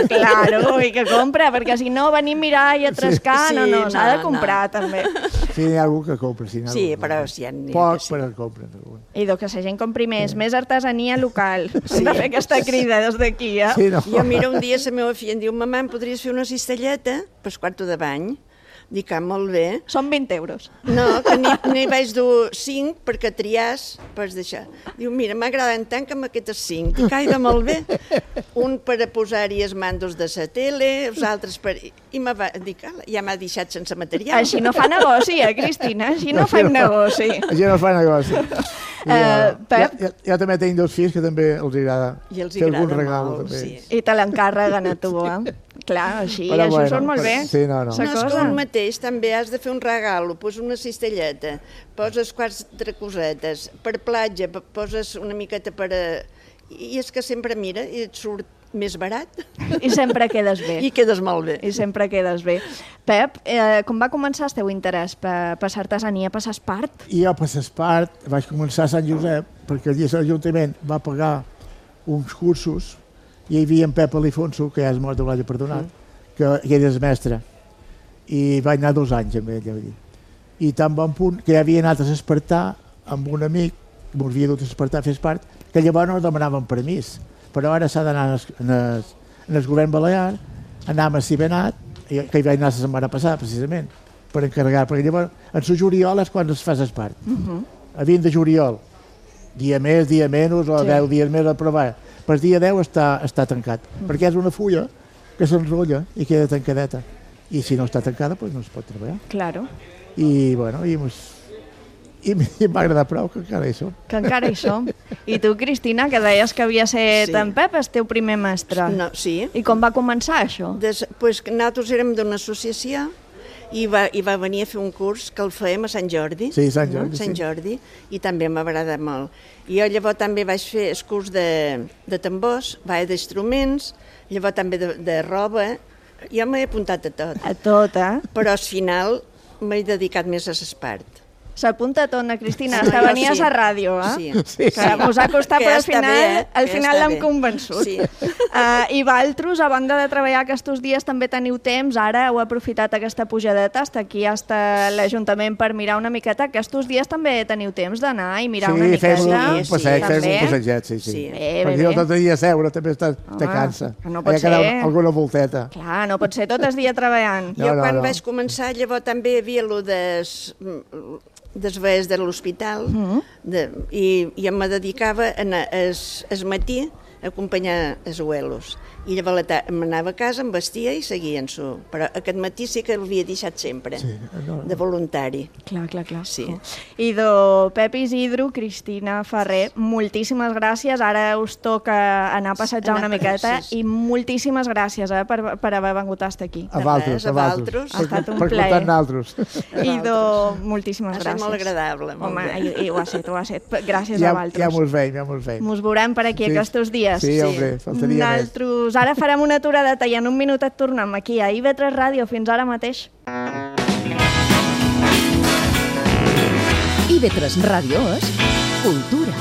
Speaker 3: Claro, i que compra, perquè si no venir a mirar i a trescar, no, s'ha de comprar també.
Speaker 16: Sí, hi ha algú que compra.
Speaker 15: Sí, però si hi ha...
Speaker 16: Poc, però compren.
Speaker 3: I que la gent compri més artesania local. Hem de fer aquesta crida des d'aquí, eh?
Speaker 15: Jo, mira, un dia la meva filla em diu, mamà, em podries fer una cistelleta per quarto de bany? Dic, molt bé.
Speaker 3: Són 20 euros.
Speaker 15: No, que n'hi vaig dur 5 perquè triàs, pots deixar. Diu, mira, m'agraden tant que aquestes 5. Dic, ai, de molt bé. Un per a posar-hi els mandos de la tele, els altres per... I dic, ja m'ha deixat sense material.
Speaker 3: Així no fa negoci, Cristina? Així no fem negoci.
Speaker 16: Així no fa negoci.
Speaker 3: Pep?
Speaker 16: Jo també tinc 2 fills que també els agrada fer algun regal.
Speaker 3: I te l'encarreguen a tu, eh? Clar, així surt molt bé.
Speaker 16: Sí, no.
Speaker 15: No, és que un mateix també has de fer un regal, poses una cistelleta, poses 4 cosetes, per platja poses una miqueta per a... I és que sempre, mira, i et surt més barat.
Speaker 3: I sempre quedes bé.
Speaker 15: I quedes molt bé.
Speaker 3: I sempre quedes bé. Pep, com va començar el teu interès per l'artesania, per l'espart?
Speaker 16: Jo per l'espart vaig començar a Sant Josep, perquè allí l'Ajuntament va pagar uns cursos i hi havia en Pep Alifonso, que ja és mort, l'haig perdonat, que era el mestre. I vaig anar 2 anys amb ell. I tan bon punt que ja havia anat a l'espartar amb un amic, que m'ho havia dut a l'espartar a fer espart, que llavors no demanaven permís. Però ara s'ha d'anar en el govern balear, anar a Cibenat, que hi vaig anar la setmana passada, precisament, per encarregar. Perquè llavors, en el juliol és quan es fa l'espart. A 20 de juliol, dia més, dia menys, o 10 dies més a provar. Per dia 10 està tancat, perquè és una fulla que s'enrotlla i queda tancadeta. I si no està tancada, doncs no es pot treballar.
Speaker 3: Claro.
Speaker 16: I, bueno, i m'ha agradat prou que encara hi som.
Speaker 3: Que encara hi som. I tu, Cristina, que deies que havia set en Pep, el teu primer mestre.
Speaker 15: No, sí.
Speaker 3: I com va començar això?
Speaker 15: Pues nosaltres érem d'una associació i va venir a fer un curs que el fèiem a Sant Jordi.
Speaker 16: Sí, Sant Jordi.
Speaker 15: Sant Jordi, i també m'agrada molt. I jo llavors també vaig fer el curs de tambors, d'instruments, llavors també de roba. Jo m'he apuntat a tot.
Speaker 3: A tot, eh?
Speaker 15: Però al final m'he dedicat més a l'espart.
Speaker 3: S'apunta tot, Ana Cristina, hasta venies a ràdio, eh?
Speaker 15: Sí.
Speaker 3: Us ha costat, però al final l'hem convençut.
Speaker 15: Sí.
Speaker 3: I vosaltres, a banda de treballar aquests dies, també teniu temps, ara heu aprofitat aquesta pujadeta, hasta aquí, hasta l'Ajuntament, per mirar una miqueta. Aquests dies també teniu temps d'anar i mirar una miqueta.
Speaker 16: Sí, fem un passeget, sí. Perquè jo tot el dia a seure també te cansa.
Speaker 3: No pot ser.
Speaker 16: Alguna volteta.
Speaker 3: Clar, no pot ser tot el dia treballant.
Speaker 15: Jo quan vaig començar, llavors també hi havia allò des vees de l'hospital i em dedicava al matí a acompanyar els abuelos. I llavors m'anava a casa, em vestia i seguien-s'ho. Però aquest matí sí que l'havia deixat sempre, de voluntari.
Speaker 3: Clar.
Speaker 15: Sí.
Speaker 3: I Pep Isidro, Cristina Ferrer, moltíssimes gràcies. Ara us toca anar a passejar una miqueta i moltíssimes gràcies per haver vengut a estar aquí.
Speaker 16: A vosaltres.
Speaker 3: Ha estat un plaer.
Speaker 16: Per portar nosaltres.
Speaker 3: I moltíssimes gràcies.
Speaker 15: Ha estat molt agradable.
Speaker 3: Home, i ho ha set. Gràcies a vosaltres.
Speaker 16: Ja mos veiem.
Speaker 3: Mos veurem per aquí aquests dies.
Speaker 16: Sí, hombre, faltaria més.
Speaker 3: Ara farem una aturadeta i en un minut et tornem aquí a IB3 Ràdio. Fins ara mateix.
Speaker 2: IB3 Ràdio és cultura.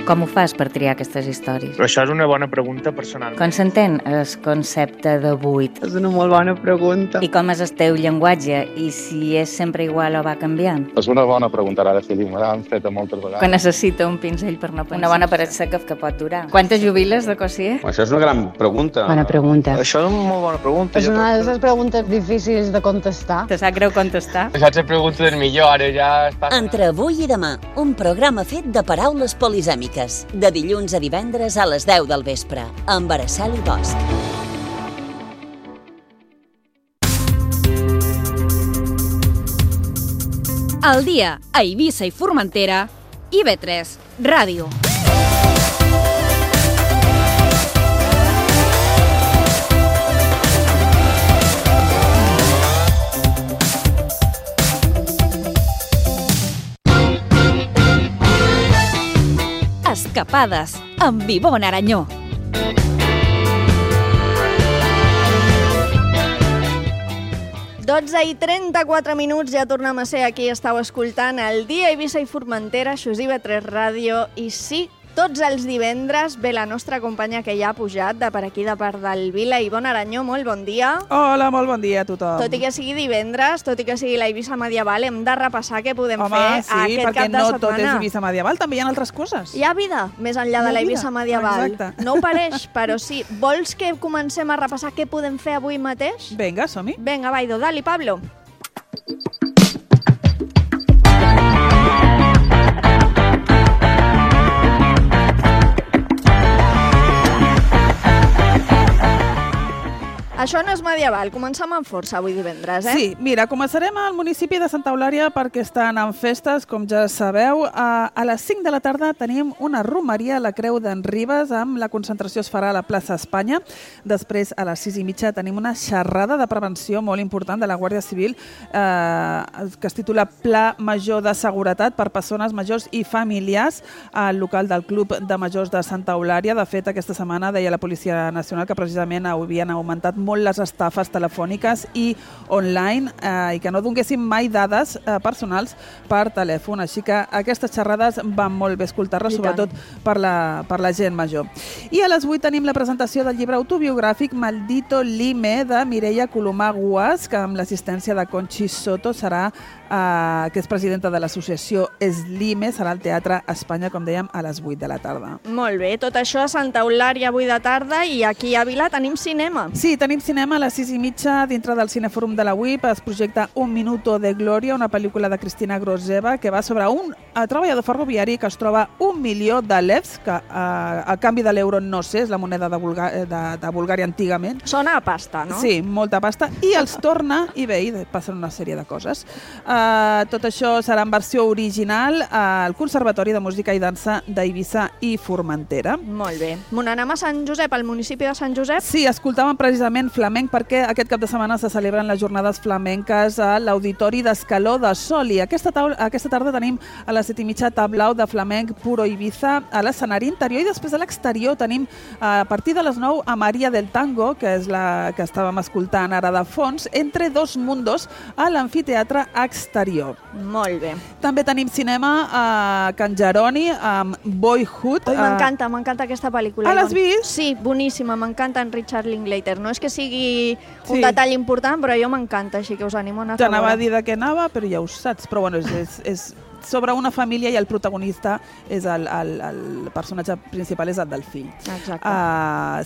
Speaker 17: Com ho fas per triar aquestes històries?
Speaker 18: Però això és una bona pregunta personal.
Speaker 17: Com s'entén el concepte de buit?
Speaker 19: És una molt bona pregunta.
Speaker 17: I com és el teu llenguatge? I si és sempre igual o va canviant?
Speaker 20: És una bona pregunta, ara sí, me l'han fet moltes vegades.
Speaker 17: Quan necessita un pinzell per no pensar. Una bona paret seca que pot durar. Quantes jubiles de Cossier?
Speaker 20: Això és una gran pregunta.
Speaker 17: Bona pregunta.
Speaker 20: Això és una molt bona pregunta.
Speaker 19: És una de les preguntes difícils de contestar.
Speaker 17: Te sap greu contestar?
Speaker 20: Això és la pregunta del millor, ara ja està...
Speaker 21: Entre avui i demà, un programa fet de paraules polisèmiques. De dilluns a divendres a les 10 del vespre, amb Araceli Bosch.
Speaker 7: Al dia, a Eivissa i Formentera, IB3 Ràdio. Escapades amb Ivonne Aranyó.
Speaker 3: I 34 minuts, ja tornem a ser aquí. Estàu escoltant el dia Eivissa i Formentera, això és IB3 Ràdio, i sí, tots els divendres ve la nostra companya que ja ha pujat de per aquí, de part del Vila. Ivonne Aranyó, molt bon dia.
Speaker 8: Hola, molt bon dia a tothom.
Speaker 3: Tot i que sigui divendres, tot i que sigui la Eivissa medieval, hem de repassar què podem fer aquest cap de setmana. Home, sí, perquè
Speaker 8: no tot és Eivissa medieval, també hi ha altres coses.
Speaker 3: Hi ha vida més enllà de la Eivissa medieval.
Speaker 8: Exacte.
Speaker 3: No ho pareix, però sí. Vols que comencem a repassar què podem fer avui mateix?
Speaker 8: Vinga, som-hi.
Speaker 3: Vinga, Baido, dali, Pablo. Això no és medieval, comencem amb força avui divendres, eh?
Speaker 8: Sí, mira, començarem al municipi de Santa Eulària perquè estan en festes, com ja sabeu. A les 5 de la tarda tenim una romeria a la Creu d'en Ribes, amb la concentració es farà a la plaça Espanya. Després, a les 6:30, tenim una xerrada de prevenció molt important de la Guàrdia Civil que es titula Pla Major de Seguretat per Persones Majors i Familiars al local del Club de Majors de Santa Eulària. De fet, aquesta setmana deia la Policia Nacional que precisament havien augmentat molt les estafes telefòniques i online i que no donguessin mai dades personals per telèfon. Així que aquestes xerrades van molt bé escoltar-les, sobretot per la gent major. I a les 8 tenim la presentació del llibre autobiogràfic Maldito Lime de Mireia Colomà Guas, que amb l'assistència de Conchi Soto serà que és presidenta de l'associació Eslime, serà al Teatre Espanya, com dèiem, a les 8 de la tarda.
Speaker 3: Molt bé, tot això a Santa Eulària avui de tarda, i aquí a Vila tenim cinema.
Speaker 8: Sí, tenim cinema a les 6:30 dintre del Cinefòrum de la UIP. Es projecta Un Minuto de Gloria, una pel·lícula de Cristina Groseva que va sobre un treballador ferroviari que es troba 1 milió de levs, que a canvi de l'euro no sé, és la moneda de Bulgària antigament.
Speaker 3: Sona a pasta, no?
Speaker 8: Sí, molta pasta, i els torna i bé, i passen una sèrie de coses. Tot això serà en versió original al Conservatori de Música i Dansa d'Eivissa i Formentera.
Speaker 3: Molt bé. Anem a Sant Josep, al municipi de Sant Josep?
Speaker 8: Sí, escoltàvem precisament flamenc perquè aquest cap de setmana se celebren les jornades flamenques a l'Auditori d'Escaló de Sol, i aquesta tarda tenim a les 7:30 tablau de flamenc Puro Eivissa a l'escenari interior, i després a l'exterior tenim a partir de les 9 a Maria del Tango, que és la que estàvem escoltant ara de fons, Entre dos mundos a l'amfiteatre exterior.
Speaker 3: Molt bé.
Speaker 8: També tenim cinema a Can Jeroni amb Boyhood.
Speaker 3: M'encanta aquesta pel·lícula.
Speaker 8: L'has vist?
Speaker 3: Sí, boníssima, m'encanta en Richard Linklater. No és que sigui un detall important, però jo m'encanta, així que us animo a anar a veure.
Speaker 8: T'anava a dir de què anava, però ja ho saps. Però bueno, és sobre una família i el protagonista és el personatge principal és el del fill.
Speaker 3: Exacte.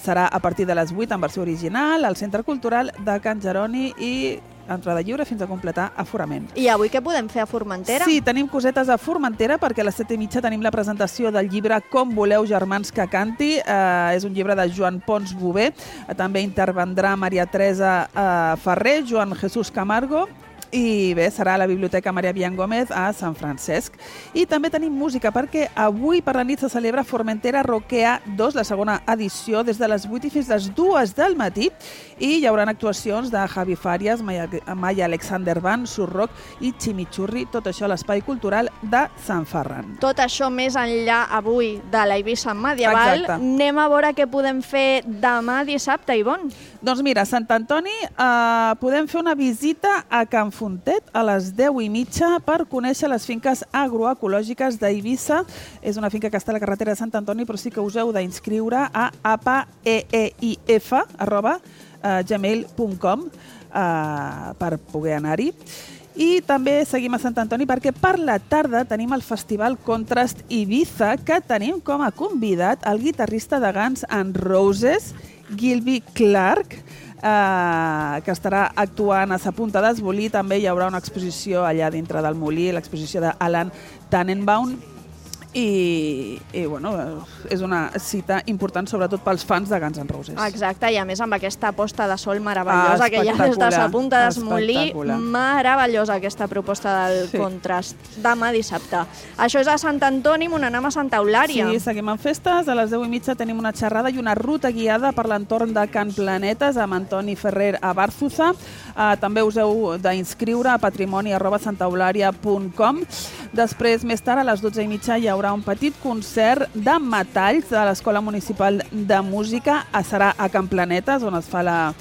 Speaker 8: Serà a partir de les 8 en versió original al Centre Cultural de Can Jeroni i entrada lliure fins a completar aforament.
Speaker 3: I avui què podem fer a Formentera?
Speaker 8: Sí, tenim cosetes a Formentera perquè a les 7:30 tenim la presentació del llibre Com voleu germans que canti. És un llibre de Joan Pons Bové. També intervendrà Maria Teresa Ferrer, Joan Jesús Camargo, i bé, serà a la Biblioteca Maria Bian Gómez a Sant Francesc. I també tenim música perquè avui per la nit se celebra Formentera Rockea 2, la segona edició, des de les 8 i fins les 2 del matí, i hi haurà actuacions de Javi Fàries, Maya Alexander Band, Surrock i Chimichurri, tot això a l'Espai Cultural de Sant Ferran.
Speaker 3: Tot això més enllà avui de la Eivissa medieval.
Speaker 8: Exacte.
Speaker 3: Anem a veure què podem fer demà dissabte, Ivonne.
Speaker 8: Doncs mira, a Sant Antoni podem fer una visita a Can Fontet a les 10:30 per conèixer les finques agroecològiques d'Eivissa. És una finca que està a la carretera de Sant Antoni, però sí que us heu d'inscriure a apaeeif@gmail.com per poder anar-hi. I també seguim a Sant Antoni perquè per la tarda tenim el Festival Contrast Ibiza, que tenim com a convidat el guitarrista de Guns N' Roses, Gilby Clarke, que estarà actuant a Sa Punta d'Esbolí. També hi haurà una exposició allà dintre del molí, l'exposició d'Alan Tannenbaum. I bueno, és una cita important, sobretot pels fans de Guns N' Roses.
Speaker 3: Exacte, i a més amb aquesta posta de sol meravellosa que hi ha des de Sa Punta d'Esbolí. Meravellosa aquesta proposta del Contrast. Demà dissabte. Això és a Sant Antoni, anem a Santa Eulària.
Speaker 8: Sí, seguim amb festes. A les 10:30 tenim una xerrada i una ruta guiada per l'entorn de Can Planetes amb Antoni Ferrer a Bàrzuza. També us heu d'inscriure a patrimoni@santaeulària.com. Després, més tard, a les 12:30 hi haurà un petit concert de metalls de l'Escola Municipal de Música. Serà a Can Planetes, on es fa la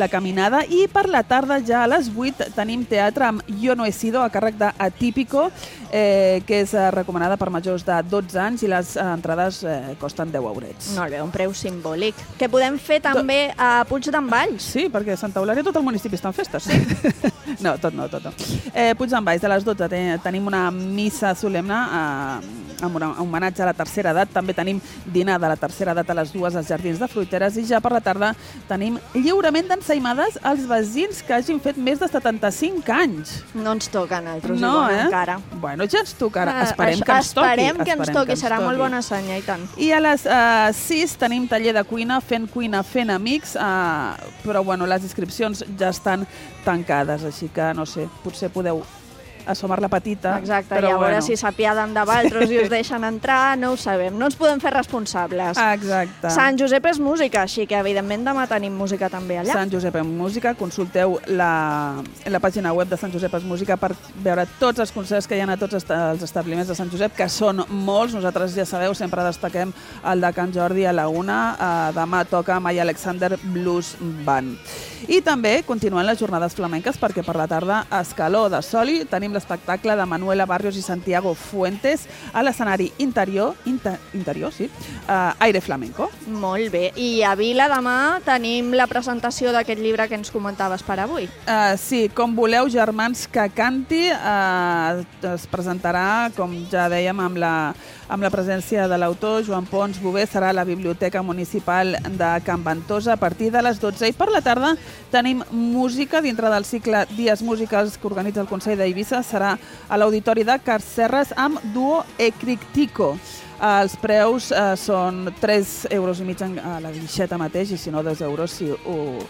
Speaker 8: caminada. I per la tarda, ja a les 8, tenim teatre amb Yo no he sido, a càrrec d'Atípico, que és recomanada per majors de 12 anys i les entrades costen 10 €.
Speaker 3: Molt bé, un preu simbòlic. Què podem fer també a Puig d'en Valls?
Speaker 8: Sí, perquè a Santa Eulària tot el municipi està en festes. Sí? No, tot no. Puig d'en Valls, a les 12 tenim una missa solemne amb un homenatge a la tercera edat. També tenim dinar de la tercera edat a les 2 als Jardins de Fruiteres i ja per la tarda tenim lliurament d'ensaïmades als veïns que hagin fet més de 75 anys.
Speaker 3: No ens toca a nosaltres, encara.
Speaker 8: Bueno, ja ens tocarà. Esperem que ens toqui.
Speaker 3: Esperem que ens toqui, serà molt bona senya, i tant.
Speaker 8: I a les 6 tenim taller de cuina, fent amics, però bueno, les inscripcions ja estan tancades, així que no sé, potser podeu assomar la petita.
Speaker 3: Exacte, i a veure si s'apiaden de vosaltres i us deixen entrar, no ho sabem, no ens podem fer responsables.
Speaker 8: Exacte.
Speaker 3: Sant Josep és música, així que evidentment demà tenim música també allà.
Speaker 8: Sant Josep és música, consulteu la pàgina web de Sant Josep és música per veure tots els concerts que hi ha a tots els establiments de Sant Josep, que són molts. Nosaltres, ja sabeu, sempre destaquem el de Can Jordi a la 1. Demà toca Maya Alexander Blues Band. I també continuen les jornades flamenques perquè per la tarda a Escaló de Soli tenim l'espectacle de Manuela Barrios i Santiago Fuentes a l'escenari interior, Aire Flamenco.
Speaker 3: Molt bé. I a Vila demà tenim la presentació d'aquest llibre que ens comentaves per avui.
Speaker 8: Sí, Com voleu, germans que canti, es presentarà, com ja dèiem, amb la presència de l'autor Joan Pons Bové. Serà a la Biblioteca Municipal de Can Ventosa a partir de les 12. I per la tarda tenim música dintre del cicle Dies Musicals que organitza el Consell d'Eivissa. Serà a l'Auditori de Carcerres amb Duo Ecrictico. Els preus són 3,5 € a la guixeta mateix i si no 2 € si ho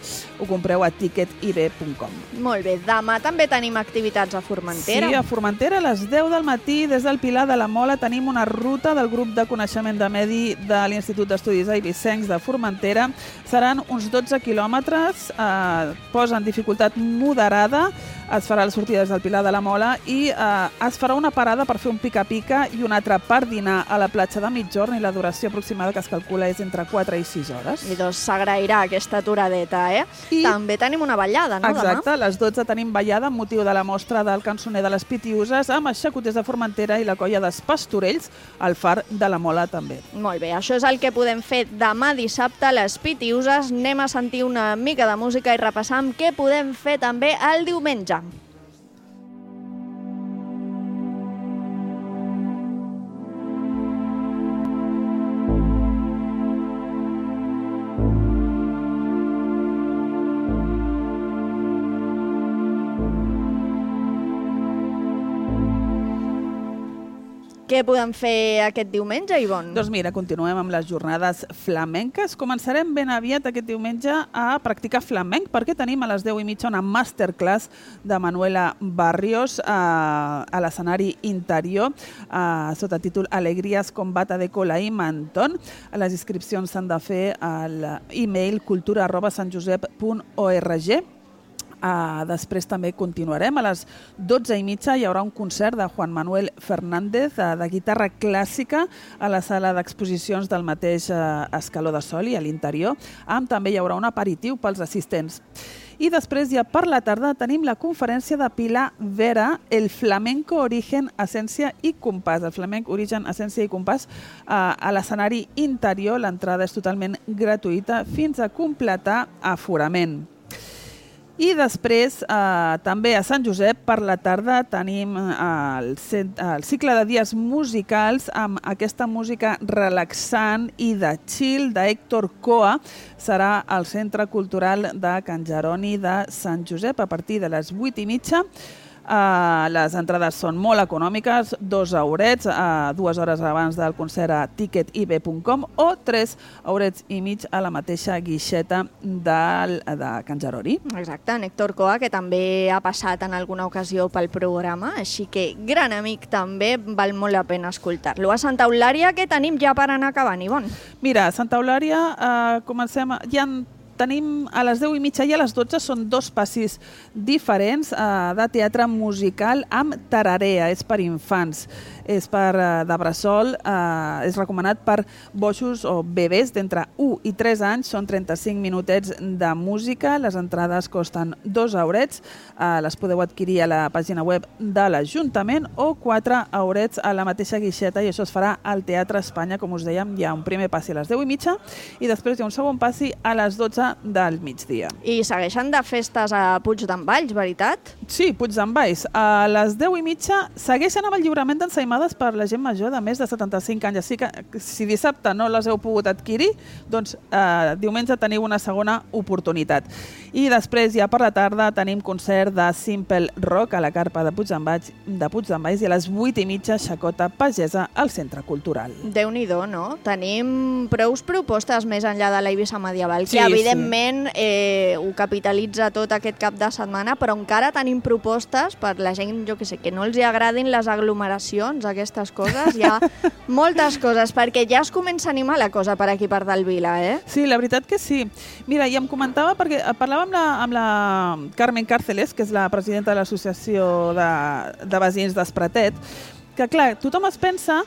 Speaker 8: compreu a ticketib.com.
Speaker 3: Molt bé, demà també tenim activitats a Formentera.
Speaker 8: Sí, a Formentera a les 10 del matí des del Pilar de la Mola tenim una ruta del grup de coneixement de medi de l'Institut d'Estudis Eivissencs de Formentera. Seran uns 12 quilòmetres, posen dificultat moderada, es farà la sortida des del Pilar de la Mola i es farà una parada per fer un pica-pica i una altra per dinar a la platja de mitjorn i la duració aproximada que es calcula és entre 4 i 6 hores.
Speaker 3: I doncs s'agrairà aquesta aturadeta, I també tenim una ballada, no,
Speaker 8: exacte,
Speaker 3: demà?
Speaker 8: A les 12 tenim ballada amb motiu de la mostra del cançoner de les Pitiuses amb els xacoters de Formentera i la colla dels Pastorells al Far de la Mola també.
Speaker 3: Molt bé, això és el que podem fer demà dissabte a les Pitiuses. Anem a sentir una mica de música i repassar què podem fer també el diumenge. Què podem fer aquest diumenge, Ivonne?
Speaker 8: Doncs mira, continuem amb les jornades flamenques. Començarem ben aviat aquest diumenge a practicar flamenc perquè tenim a les 10:30 una masterclass de Manuela Barrios a l'escenari interior sota títol Alegrías con bata de cola i mantón. Les inscripcions s'han de fer a l'email cultura@sanjosep.org. Després també continuarem. A les 12:30 hi haurà un concert de Juan Manuel Fernández de guitarra clàssica a la sala d'exposicions del mateix Escaló de Soli, a l'interior. També hi haurà un aperitiu pels assistents. I després, ja per la tarda, tenim la conferència de Pilar Vera, el flamenco origen, essència i compàs. El flamenc origen, essència i compàs a l'escenari interior. L'entrada és totalment gratuïta fins a completar aforament. I després, també a Sant Josep, per la tarda, tenim el cicle de dies musicals amb aquesta música relaxant i de chill d'Héctor Coa. Serà al Centre Cultural de Can Jeroni de Sant Josep a partir de les 8:30. Les entrades són molt econòmiques, 2 eurets, 2 hores abans del concert a ticketib.com o 3 eurets i mig a la mateixa guixeta de Can Jeroni.
Speaker 3: Exacte, en Héctor Coa, que també ha passat en alguna ocasió pel programa, així que gran amic també, val molt la pena escoltar-lo. A Santa Eulària, què tenim ja per anar acabant, Ivonne?
Speaker 8: Mira, a Santa Eulària comencem... Tenim a les 10:30 i a les 12 són 2 passis diferents de teatre musical amb tararea. És per infants, és de bressol, és recomanat per boixos o bebès d'entre 1 i 3 anys. Són 35 minutets de música. Les entrades costen 2 eurets. Les podeu adquirir a la pàgina web de l'Ajuntament o 4 eurets a la mateixa guixeta, i això es farà al Teatre Espanya. Com us dèiem, hi ha un primer passi a les 10:30 i després hi ha un segon passi a les 12 del migdia.
Speaker 3: I segueixen de festes a Puig d'en Valls, veritat?
Speaker 8: Sí, Puig d'en Valls. A les 10:30 segueixen amb el lliurament d'ensaïmades per la gent major de més de 75 anys. Així que si dissabte no les heu pogut adquirir, doncs diumenge teniu una segona oportunitat. I després, ja per la tarda, tenim concert de Simple Rock a la carpa de Puig d'en Valls i a les 8:30 xacota pagesa al Centre Cultural.
Speaker 3: Déu-n'hi-do, no? Tenim prous propostes més enllà de l'Eivissa medieval, que evidentment ho capitalitza tot aquest cap de setmana, però encara tenim propostes per la gent, jo que sé, que no els agradin les aglomeracions, aquestes coses. Hi ha moltes coses, perquè ja es comença a animar la cosa per aquí, per dalt Vila, eh?
Speaker 8: Sí, la veritat que sí. Mira, i em comentava, perquè parlava amb la Carmen Càrceles, que és la presidenta de l'Associació de Veïns d'Espratet, que clar, tothom es pensa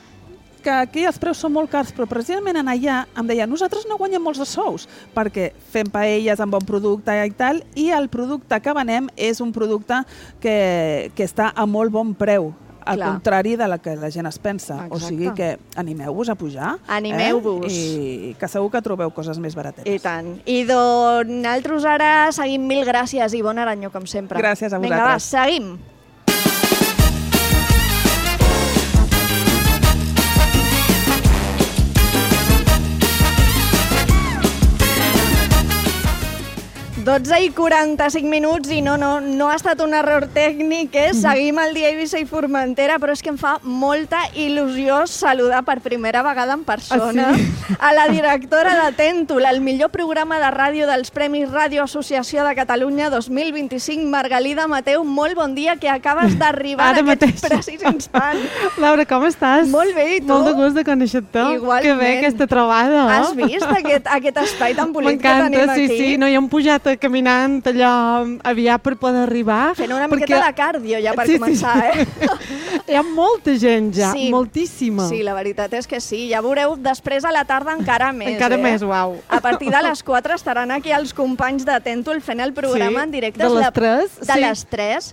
Speaker 8: que aquí els preus són molt cars, però precisament en allà em deia, nosaltres no guanyem molts de sous, perquè fem paelles amb bon producte i tal, i el producte que venem és un producte que està a molt bon preu, al contrari de la que la gent es pensa. Exacte. O sigui que animeu-vos a pujar.
Speaker 3: Animeu-vos.
Speaker 8: I que segur que trobeu coses més baratetes.
Speaker 3: I tant. I doncs nosaltres ara seguim. Mil gràcies, Ivonne Aranyó, com sempre.
Speaker 8: Gràcies a vosaltres.
Speaker 3: Vinga, va, seguim. Dotze i 45 minuts i no ha estat un error tècnic, seguim el dia Eivissa i Formentera, però és que em fa molta il·lusió saludar per primera vegada en persona a la directora de Tèntol, el millor programa de ràdio dels Premis Ràdio Associació de Catalunya 2025, Margalida Mateu. Molt bon dia, que acabes d'arribar en aquest precís instant.
Speaker 1: Laura, com estàs?
Speaker 3: Molt bé, i tu?
Speaker 1: Molt de gust de conèixer-te.
Speaker 3: Igualment.
Speaker 1: Que bé aquesta trobada.
Speaker 3: Has vist aquest espai tan bonic que tenim aquí?
Speaker 1: M'encanta, sí, no hi hem pujat caminant allò aviat per poder arribar.
Speaker 3: Fent una miqueta de cardio ja per començar,
Speaker 1: Hi ha molta gent ja, moltíssima.
Speaker 3: Sí, la veritat és que sí. Ja veureu després a la tarda encara més.
Speaker 1: Encara més, uau.
Speaker 3: A partir de les 4 estaran aquí els companys de Tèntol fent el programa en directe.
Speaker 1: De les 3.
Speaker 3: De les 3.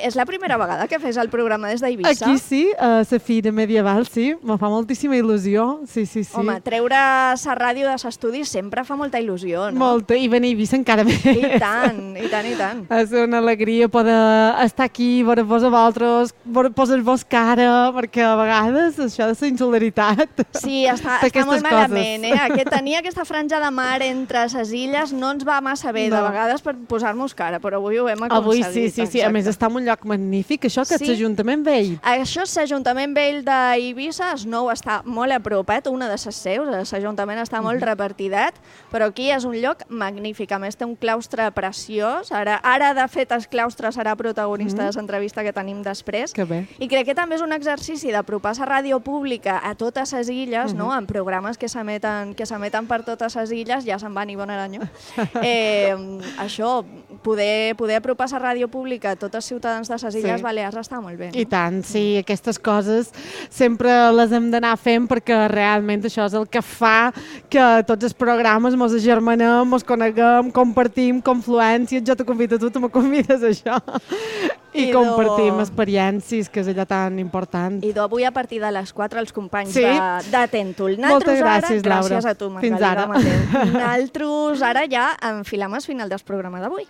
Speaker 3: És la primera vegada que fes el programa des d'Eivissa?
Speaker 1: Aquí sí, a la Fira Medieval, sí. Me fa moltíssima il·lusió. Sí.
Speaker 3: Home, treure la ràdio de l'estudi sempre fa molta il·lusió, no?
Speaker 1: Molta, i venir a Eivissa encara més.
Speaker 3: I tant.
Speaker 1: És una alegria poder estar aquí, veure-vos a vosaltres, posar-vos cara, perquè a vegades això de la insolidaritat.
Speaker 3: Sí, està molt malament, Tenir aquesta franja de mar entre les illes no ens va massa bé, de vegades, per posar-nos cara, però avui ho hem aconseguit.
Speaker 1: Avui sí. A més, està en un lloc magnífic. Això que és l'Ajuntament Vell.
Speaker 3: Això és l'Ajuntament Vell d'Eivissa. El nou està molt a propet, una de les seus. L'Ajuntament està molt repartidet, però aquí és un lloc magnífic. A més, té un claustre preciós. Ara, de fet, el claustre serà protagonista de l'entrevista que tenim després.
Speaker 1: Que bé.
Speaker 3: I crec que també és un exercici d'apropar la ràdio pública a totes les illes, no? En programes que s'emeten per totes les illes. Ja se'n va Ivonne Aranyó. Això, poder apropar la ràdio pública a tots els ciutadans de les Illes Balears està molt bé.
Speaker 1: I tant, sí, aquestes coses sempre les hem d'anar fent perquè realment això és el que fa que tots els programes mos agermanem, mos coneguem, compartim confluències, jo te convido a tu, tu me convides a això, i compartim experiències, que és allò tan important.
Speaker 3: I avui a partir de les 4 els companys
Speaker 1: Sí.
Speaker 3: de Tèntol.
Speaker 1: Moltes gràcies, Laura.
Speaker 3: Gràcies a tu,
Speaker 1: Fins ara.
Speaker 3: Mateu. Nosaltres ara ja enfilem el final del programa d'avui.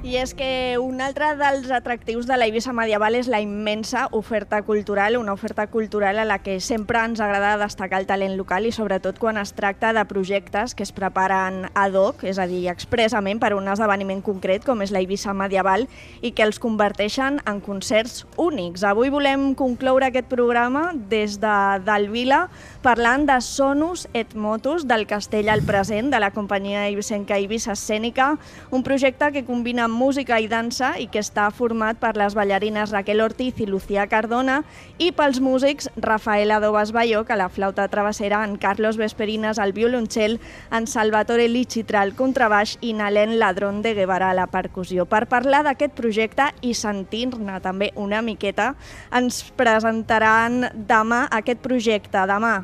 Speaker 3: I és que un altre dels atractius de la Eivissa medieval és la immensa oferta cultural, una oferta cultural a la que sempre ens agrada destacar el talent local i sobretot quan es tracta de projectes que es preparen ad hoc, és a dir, expressament per un esdeveniment concret com és la Eivissa medieval i que els converteixen en concerts únics. Avui volem concloure aquest programa des del Vila parlant de Sonus et Motus del Castell al Present de la companyia eivissenca Eivissa Escènica, un projecte que combina música i dansa i que està format per les ballarines Raquel Ortiz i Lucía Cardona i pels músics Rafael Adobas Bayoc a la flauta travessera, en Carlos Vesperinas al violoncel, en Salvatore Lichitra al contrabaix i Nalén Ladrón de Guevara a la percussió. Per parlar d'aquest projecte i sentir-ne també una miqueta, ens presentaran demà aquest projecte, demà,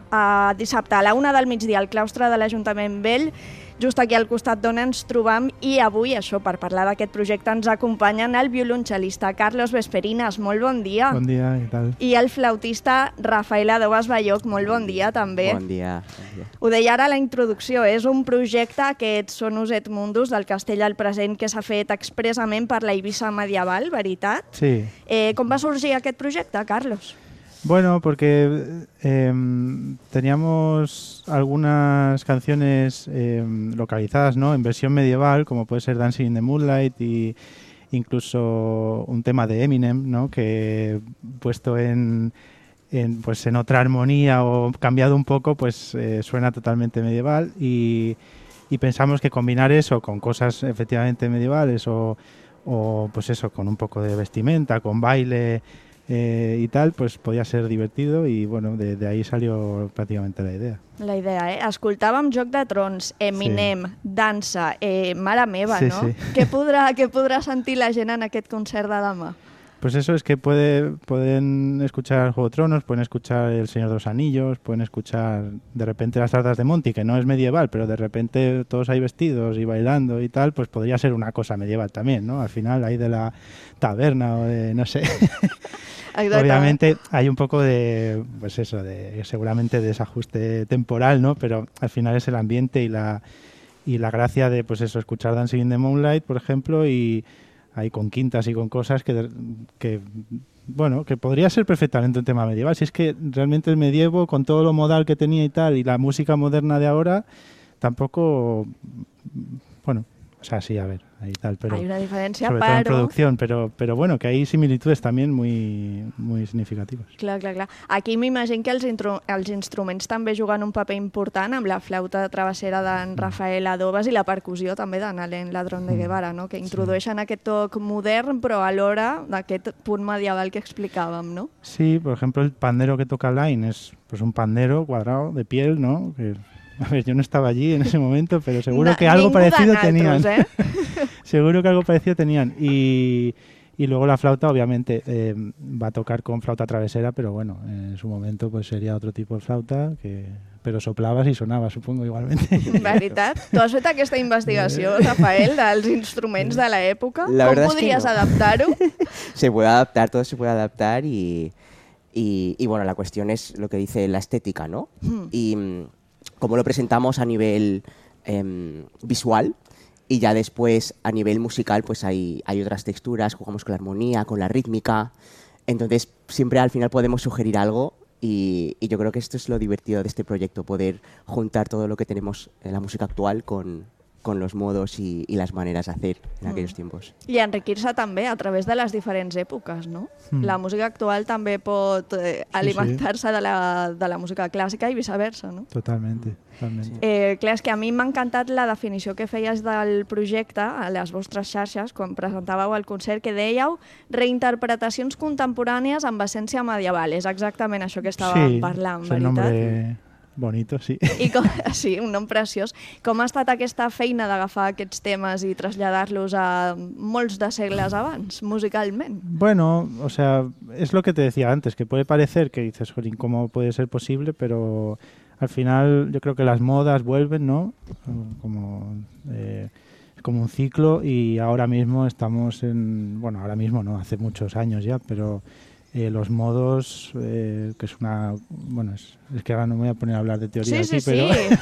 Speaker 3: dissabte a la 1 del migdia al claustre de l'Ajuntament Vell, just aquí al costat d'on ens trobam, i avui, això, per parlar d'aquest projecte, ens acompanyen el violoncel·lista Carlos Vesperinas, molt bon dia.
Speaker 4: Bon dia, què tal?
Speaker 3: I el flautista Rafael Adobas Bayoc, molt bon dia també.
Speaker 4: Bon dia.
Speaker 3: Ho deia ara a la introducció, és un projecte, aquest Sonus et Mundus del Castell al Present, que s'ha fet expressament per la Eivissa medieval, veritat?
Speaker 4: Sí.
Speaker 3: Com va sorgir aquest projecte, Carlos?
Speaker 4: Bueno, porque teníamos algunas canciones localizadas, ¿no?, en versión medieval, como puede ser Dancing in the Moonlight y incluso un tema de Eminem, ¿no?, que puesto en otra armonía o cambiado un poco, pues suena totalmente medieval y pensamos que combinar eso con cosas efectivamente medievales o pues eso, con un poco de vestimenta, con baile y tal, pues podía ser divertido y bueno, de ahí salió prácticamente la idea.
Speaker 3: La idea, Escoltàvem Joc de Trons, Eminem, dansa, mare meva,
Speaker 4: Sí,
Speaker 3: no?
Speaker 4: sí.
Speaker 3: Què podrà sentir la gent en aquest concert de demà?
Speaker 4: Pues eso, es que pueden escuchar Juego de Tronos, pueden escuchar El Señor de los Anillos, pueden escuchar de repente las Tardas de Monty, que no es medieval, pero de repente todos ahí vestidos y bailando y tal, pues podría ser una cosa medieval también, ¿no? Al final ahí de la taberna o de, no sé. Obviamente hay un poco de, pues eso, de seguramente desajuste temporal, ¿no? Pero al final es el ambiente y la gracia de, pues eso, escuchar Dancing in the Moonlight, por ejemplo, y ahí con quintas y con cosas que bueno, que podría ser perfectamente un tema medieval. Si es que realmente el medievo, con todo lo modal que tenía y tal, y la música moderna de ahora, tampoco, bueno, o sea, sí, a ver, ahí tal, pero
Speaker 3: hay una diferència,
Speaker 4: sobre todo en producción, pero bueno, que hay similitudes también muy significativas.
Speaker 3: Clar. Aquí m'imagino que els instruments també juguen un paper important amb la flauta travessera d'en Rafael Adobas i la percussió també de Nalén Ladrón de Guevara, no? Que introdueixen aquest toc modern però alhora d'aquest punt medieval que explicàvem, no?
Speaker 4: Sí, por ejemplo, el pandero que toca Line es pues un pandero cuadrado de piel, ¿no? Que, a ver, yo no estaba allí en ese momento, pero seguro que algo parecido tenían. Seguro que algo parecido tenían. Y luego la flauta, obviamente, va a tocar con flauta travesera, pero bueno, en su momento pues sería otro tipo de flauta, pero soplabas y sonaba, supongo, igualmente.
Speaker 3: Veritat? Tu has fet aquesta investigació, Rafael, dels instruments de l'època? Com podries adaptar-ho?
Speaker 22: Se puede adaptar, todo se puede adaptar y bueno, la cuestión es lo que dice la estética, ¿no? Y cómo lo presentamos a nivel visual y ya después a nivel musical pues hay otras texturas, jugamos con la armonía, con la rítmica, entonces siempre al final podemos sugerir algo y yo creo que esto es lo divertido de este proyecto, poder juntar todo lo que tenemos en la música actual con con los modos y las maneras de hacer en aquellos tiempos.
Speaker 3: I enriquir-se també a través de les diferents èpoques, no? La música actual també pot alimentar-se de la música clàssica i viceversa, no?
Speaker 4: Totalmente.
Speaker 3: Clar, és que a mi m'ha encantat la definició que feies del projecte a les vostres xarxes quan presentàveu el concert, que dèieu reinterpretacions contemporànies amb essència medieval. És exactament això que estàvem parlant, veritat?
Speaker 4: Sí, és un nombre bonito, sí.
Speaker 3: Sí, un nom preciós. Com ha estat aquesta feina d'agafar aquests temes i traslladar-los a molts de segles abans, musicalment?
Speaker 4: Bueno, o sea, es lo que te decía antes, que puede parecer que dices, jolín, ¿cómo puede ser posible? Pero al final yo creo que las modas vuelven, ¿no? Como un ciclo, y ahora mismo estamos bueno, ahora mismo no, hace muchos años ya, pero los modos, que es una... Bueno, es que ahora no me voy a poner a hablar de teoría aquí, pero...
Speaker 3: Sí.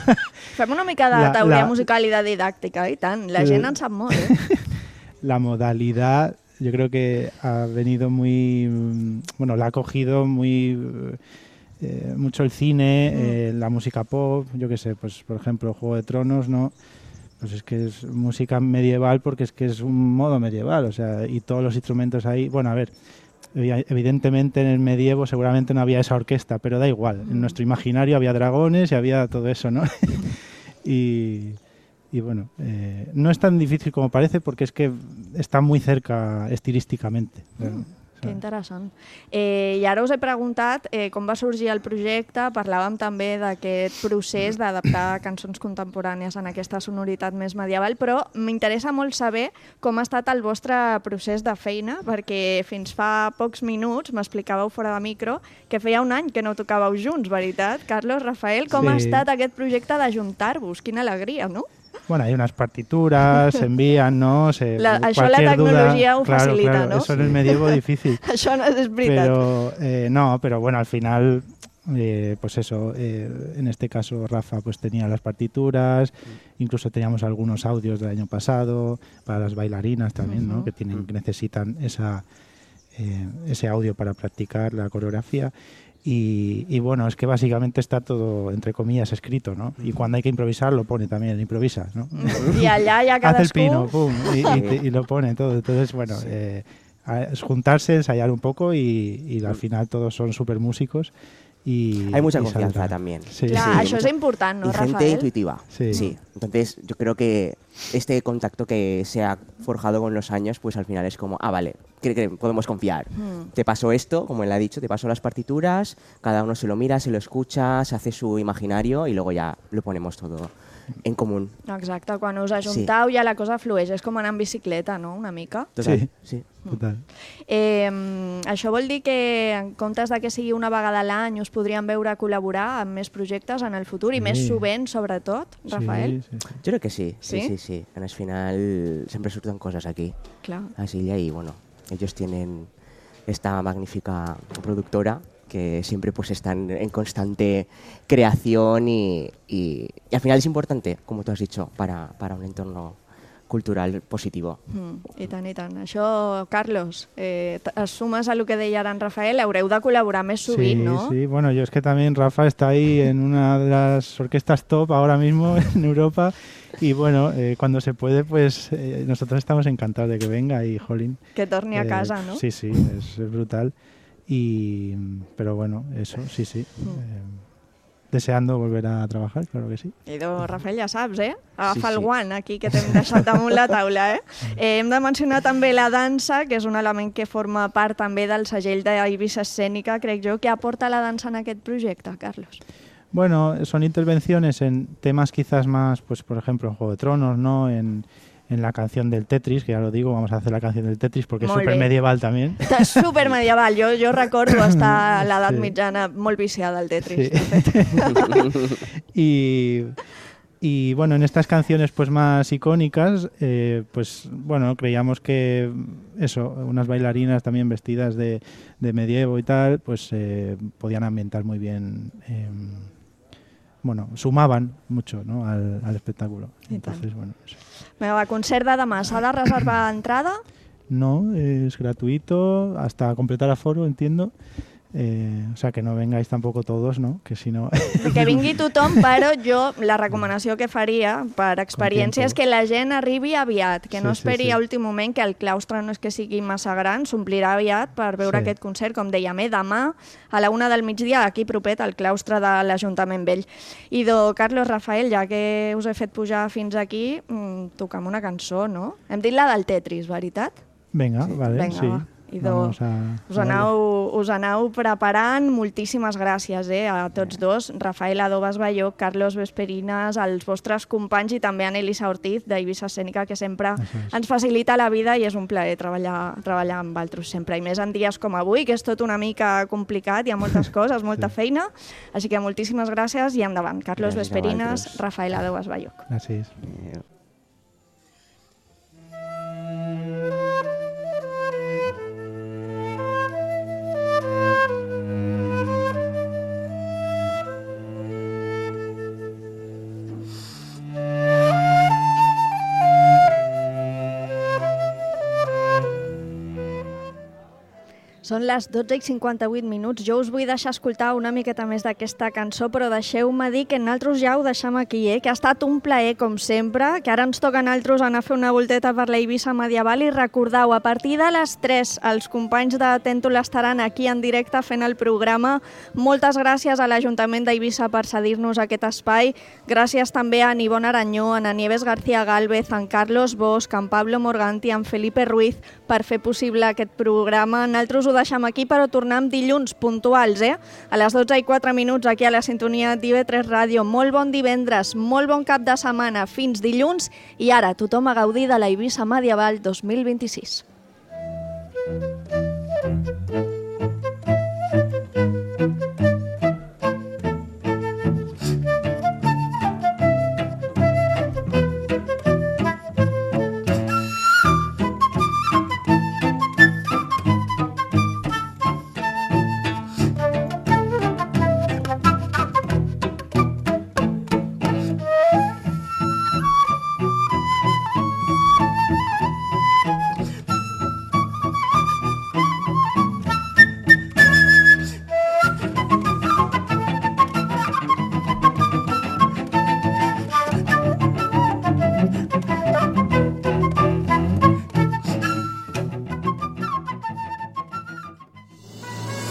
Speaker 3: Fem una mica de teoria musical i de didàctica, i tant. La gent en sap molt,
Speaker 4: La modalidad, yo creo que ha venido muy... Bueno, la ha cogido muy... mucho el cine, la música pop, yo qué sé, pues por ejemplo Juego de Tronos, ¿no? Pues es que es música medieval porque es que es un modo medieval, o sea, y todos los instrumentos ahí, bueno, a ver, evidentemente en el medievo seguramente no había esa orquesta, pero da igual, en nuestro imaginario había dragones y había todo eso, ¿no? y bueno, no es tan difícil como parece porque es que está muy cerca estilísticamente.
Speaker 3: Que interessant. I ara us he preguntat com va sorgir el projecte, parlàvem també d'aquest procés d'adaptar cançons contemporànies en aquesta sonoritat més medieval, però m'interessa molt saber com ha estat el vostre procés de feina, perquè fins fa pocs minuts m'explicàveu fora de micro que feia un any que no tocàveu junts, veritat? Carlos, Rafael, com ha estat aquest projecte d'ajuntar-vos? Quina alegria, no?
Speaker 4: Bueno, hay unas partituras, se envían, ¿no?
Speaker 3: Això la tecnologia ho facilita, ¿no?
Speaker 4: Eso en el medievo difícil.
Speaker 3: Això no és veritat.
Speaker 4: Pero bueno, al final, pues eso, en este caso Rafa pues tenía las partituras, incluso teníamos algunos audios del año pasado, para las bailarinas también, ¿no? Que necesitan ese audio para practicar la coreografía. Y bueno, es que básicamente está todo, entre comillas, escrito, ¿no? Y cuando hay que improvisar, lo pone también, improvisa, ¿no?
Speaker 3: Y allá ya cadascú...
Speaker 4: Hace el pino, pum, y lo pone todo. Entonces, bueno, es juntarse, ensayar un poco y al final todos son súper músicos.
Speaker 22: Hay mucha confianza también.
Speaker 3: Sí, claro, eso es importante, ¿no, Rafael?
Speaker 22: Y gente intuitiva. Sí. Entonces, yo creo que este contacto que se ha forjado con los años, pues al final es como, vale, que podemos confiar. Te paso esto, como él ha dicho, te paso las partituras, cada uno se lo mira, se lo escucha, se hace su imaginario y luego ya lo ponemos todo en común.
Speaker 3: Exacte, quan us ajuntau ja la cosa flueix, és com anar en bicicleta, no?, una mica.
Speaker 22: Total, sí.
Speaker 4: Total.
Speaker 3: Això vol dir que en comptes de que sigui una vegada a l'any us podríem veure col·laborar amb més projectes en el futur i més sovint, sobretot, Rafael?
Speaker 22: Sí. Yo creo que sí. Sí. En el final siempre surgen cosas aquí.
Speaker 3: Claro.
Speaker 22: Así y bueno, ellos tienen esta magnífica productora que siempre pues están en constante creación y al final es importante, como tú has dicho, para un entorno cultural positivo.
Speaker 3: I tant, i tant. Això, Carlos, es sumes a lo que deia ara en Rafael, haureu de col·laborar més sovint, ¿no?
Speaker 4: Sí, bueno, yo es que también Rafa está ahí en una de las orquestas top ahora mismo en Europa y bueno, cuando se puede, pues nosotros estamos encantados de que venga y jolín.
Speaker 3: Que torni a casa, ¿no?
Speaker 4: Sí, es brutal. Pero bueno, eso, sí. Deseando volver a trabajar, claro que sí.
Speaker 3: Rafael, ja saps, agafa el guant aquí que t'hem deixat damunt la taula, Hem de mencionar també la dansa, que és un element que forma part també del segell d'Eivissa Escènica, crec jo. Què aporta la dansa en aquest projecte, Carlos?
Speaker 4: Bueno, son intervenciones en temas quizás más, pues por ejemplo, en Juego de Tronos, ¿no? En la canción del Tetris, que ya lo digo, vamos a hacer la canción del Tetris porque es súper medieval también.
Speaker 3: És súper medieval, jo recordo estar a l'edat mitjana molt viciada al Tetris.
Speaker 4: Sí. Y bueno, en estas canciones pues más icónicas, pues bueno, creíamos que eso, unas bailarinas también vestidas de medievo y tal, pues podían ambientar muy bien, bueno, sumaban mucho, ¿no?, al espectáculo. Entonces, bueno, eso.
Speaker 3: Va, concert de demà, s'ha de reservar entrada?
Speaker 4: No, es gratuito hasta completar aforo, entiendo. O sea, que no vengáis tampoco todos, ¿no? Que si no...
Speaker 3: Que vingui tothom, però jo la recomanació que faria per experiència és que la gent arribi aviat, que no esperi a últim moment, que el claustre no és que sigui massa gran, s'omplirà aviat per veure aquest concert, com dèiem, demà a la 1 del migdia, aquí propet, al claustre de l'Ajuntament Vell. I Carlos, Rafael, ja que us he fet pujar fins aquí, toca'm una cançó, no? Hem dit la del Tetris, veritat?
Speaker 4: Vinga, vale, sí.
Speaker 3: Us aneu preparant. Moltíssimes gràcies a tots dos, Rafael Adobas Balló, Carlos Vesperinas, als vostres companys i també a Elisa Ortiz d'Eivissa Escènica, que sempre ens facilita la vida i és un plaer treballar amb vosaltres sempre, i més en dies com avui, que és tot una mica complicat, hi ha moltes coses, molta feina, així que moltíssimes gràcies i endavant. Carlos Vesperinas, Rafael Adobas Balló.
Speaker 4: Gràcies.
Speaker 3: Són les 12:58. Jo us vull deixar escoltar una miqueta més d'aquesta cançó, però deixeu-me dir que nosaltres ja ho deixem aquí, que ha estat un plaer, com sempre, que ara ens toca a nosaltres anar a fer una volteta per la Eivissa medieval i recordeu, a partir de les 3, els companys de Tèntol estaran aquí en directe fent el programa. Moltes gràcies a l'Ajuntament d'Eivissa per cedir-nos aquest espai. Gràcies també a Nivón Aranyó, a Nieves García Gálvez, a en Carlos Bosch, a en Pablo Morganti, a en Felipe Ruiz per fer possible aquest programa. Nosaltres ho deixem aquí, però tornem dilluns puntuals, a les 12:04 aquí a la sintonia d'IV3 Ràdio. Molt bon divendres, molt bon cap de setmana, fins dilluns, i ara tothom a gaudir de la Eivissa Medieval 2026.